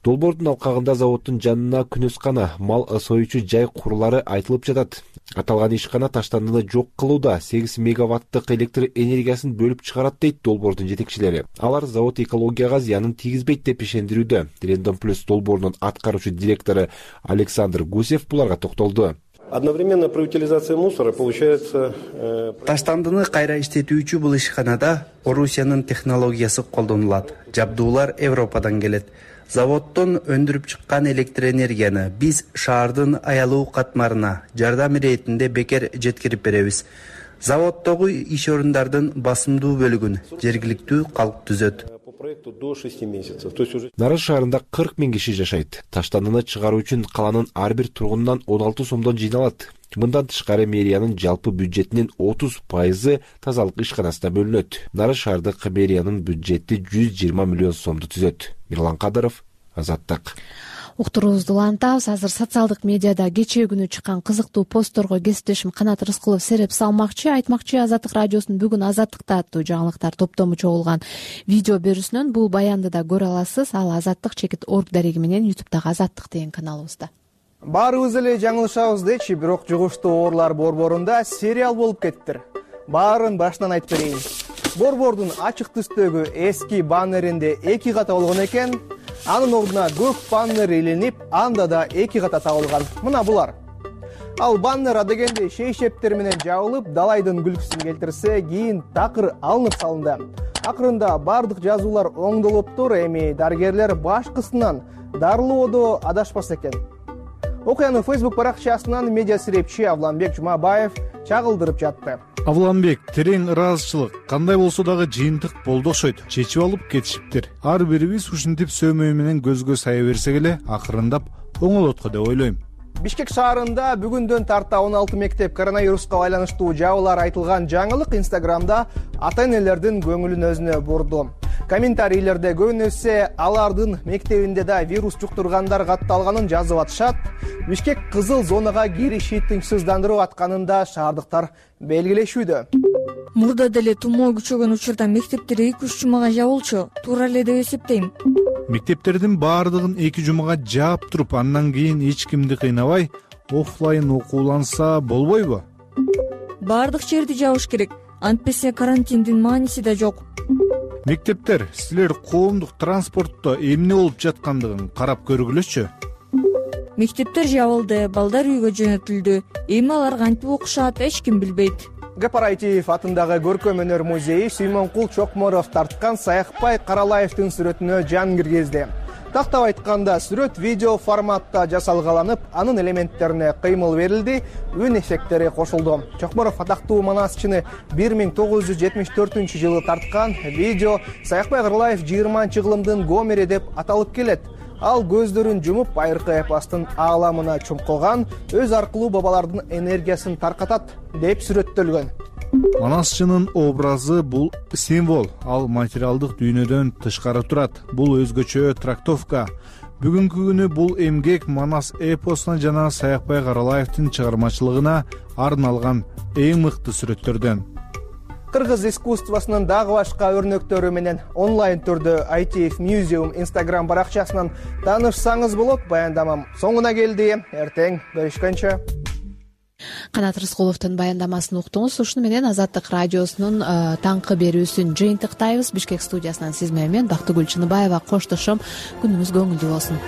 Долбоордун алкагында заводдун жанына күнөскана, мал союучу жай курулары айтылып жатат. Аталган ишкана таштандыны жок кылууда 8 мегаваттык электр энергиясын бөлүп чыгарат дейт долбоордун жетекчилери. Алар завод экологияга зыянын тийгизбейт деп ишендирүүдө. Random Plus долбоорунун аткаруучу директору Александр Гусев буларга токтолду. Одновременно при утилизации мусора получается... Таштандыны кайра иштетүүчү бул ишканада Орусиянын технологиясы колдонулат. Жабдуулар Европадан келет. Заводдон өндүрүп чыккан электр энергияны биз шаардын аялуу катмарына жардам иретинде бекер жеткирип беребиз. Заводдогу иш орундардын басымдуу бөлүгүн жергиликтүү калк түзөт. Нарын шаарында 40 000 киши жашайт. Таштандыны чыгаруу үчүн каланын ар бир тургунунан 16 сомдон жыйналат. Мындан тышкары мэриянын жалпы бюджетинин 30% тазалык ишканасына бөлүнөт. Нарын шаардык мэриянын бюджети 120 миллион сомду түзөт. Мирлан Кадыров, Азаттык. Уктуруубузду улантабыз. Азыр социалдык медиада кечээ күнү чыккан кызыктуу постторго кесиптешим Канат Рыскулов сереп салмакчы. Айтмакчы, Азаттык радиосунун бүгүн Азаттыкта аттуу жаңылыктар топтому чогулган видео берүүсүнөн бул баянды да көрө аласыз. Ал Азаттык-org дареги менен YouTube'дагы Азаттык деген каналыбызда. Баарыбыз эле жаңылышабыз дечи, бирок жугуштуу оорлар борборунда сериал болуп кеттир. Баарын башынан айтып берейин. Борбордун ачык түстөгү эски баннеринде 2 ката болгон экен. Анын ордуна көк баннер илинип, анда да 2 ката табылган. Мына булар. Ал баннер адегенде шейшептер менен жабылып, далайдын күлкүсүн келтирсе, кийин такыр алынып салынды. Акырында бардык жазуулар оңдолуптур, эми дарыгерлер башкысынан дарылоодо адашпас экен. Окуяны Facebook баракчасынан медиа серепчи Авланбек Жумабаев чагылдырып жатты. Авланбек, терең ыраазычылык кандай болсо дагы жыйынтык болду окшойт. Чечип алып кетишиптир. Ар бирибиз ушинтип сөмөй менен көзгө сая берсек эле акырындап оңолотко деп ойлойм. Бишкек шаарында бүгүндөн тарта 16 мектеп коронавируска байланыштуу жабылар айтылган жаңылык Инстаграмда ата-энелердин көңүлүн өзүнө бурду. Комментарийлерде көбүнөсү алардын мектебинде да вирус жуктургандар катталганын жазып атышат. Бишкек кызыл зонага кириши тынчсыздандырып атканын да шаардыктар белгилешүүдө. Мурда деле тумоо күчөгөн учурда мектептер 2-3 жумага жабылчу. Туура эле деп эсептейм. Мектептердин баардыгын 2 жумага жаап туруп, андан кийин эч кимди кыйнабай оффлайн окууланса болбойбу? Баардык жерди жабыш керек. Антпесе карантиндин мааниси да жок. Мектептер, силер коомдук транспортто эмне болуп жаткандыгын карап көргүлөчү. Мектептер жабылды, балдар үйгө жөнөтүлдү. Эми алар кантип окушат, эч ким билбейт. Гапараитиев атындагы көркөм өнөр музейи Сүймөнкул Чокморов тарткан Саякбай Каралаевдин сүрөтүнө жан киргизди. Тактап айтканда, сүрөт видео форматта жасалгаланып, анын элементтерине кыймыл берилди, үн эффекттери кошулду. Чокморов атактуу манасчыны 1974-жылы тарткан. Видео Саякбай Каралаев 20-кылымдын Гомери деп аталып келет. Ал көздөрүн жумуп, байыркы эпостун ааламына чумкулган, өз аркылуу бабалардын энергиясын таркатат деп сүрөттөлгөн. Манасчынын образы бул символ, ал материалдык дүйнөдөн тышкары турат. Бул өзгөчө трактовка. Бүгүнкү күнү бул эмгек Манас эпосуна жана Саякбай Каралаевдин чыгармачылыгына арналган эң мыкты сүрөттөрдөн. Кыргыз искусствосунун дагы башка өрнөктөрү менен онлайн түрдө ITF Museum Instagram баракчасынан таанышсаңыз болот. Баяндамам соңуна келди. Эртең көрүшкөнчө. Канат Рыскуловдун баяндамасын уктуңуз. Ушуну менен Азаттык радиосунун таңкы берүүсүн жыйынтыктайбыз. Бишкек студиясынан сиз менен Бактыгүл Чыныбаева коштошом. Күнүңүз көңүлдүү болсун.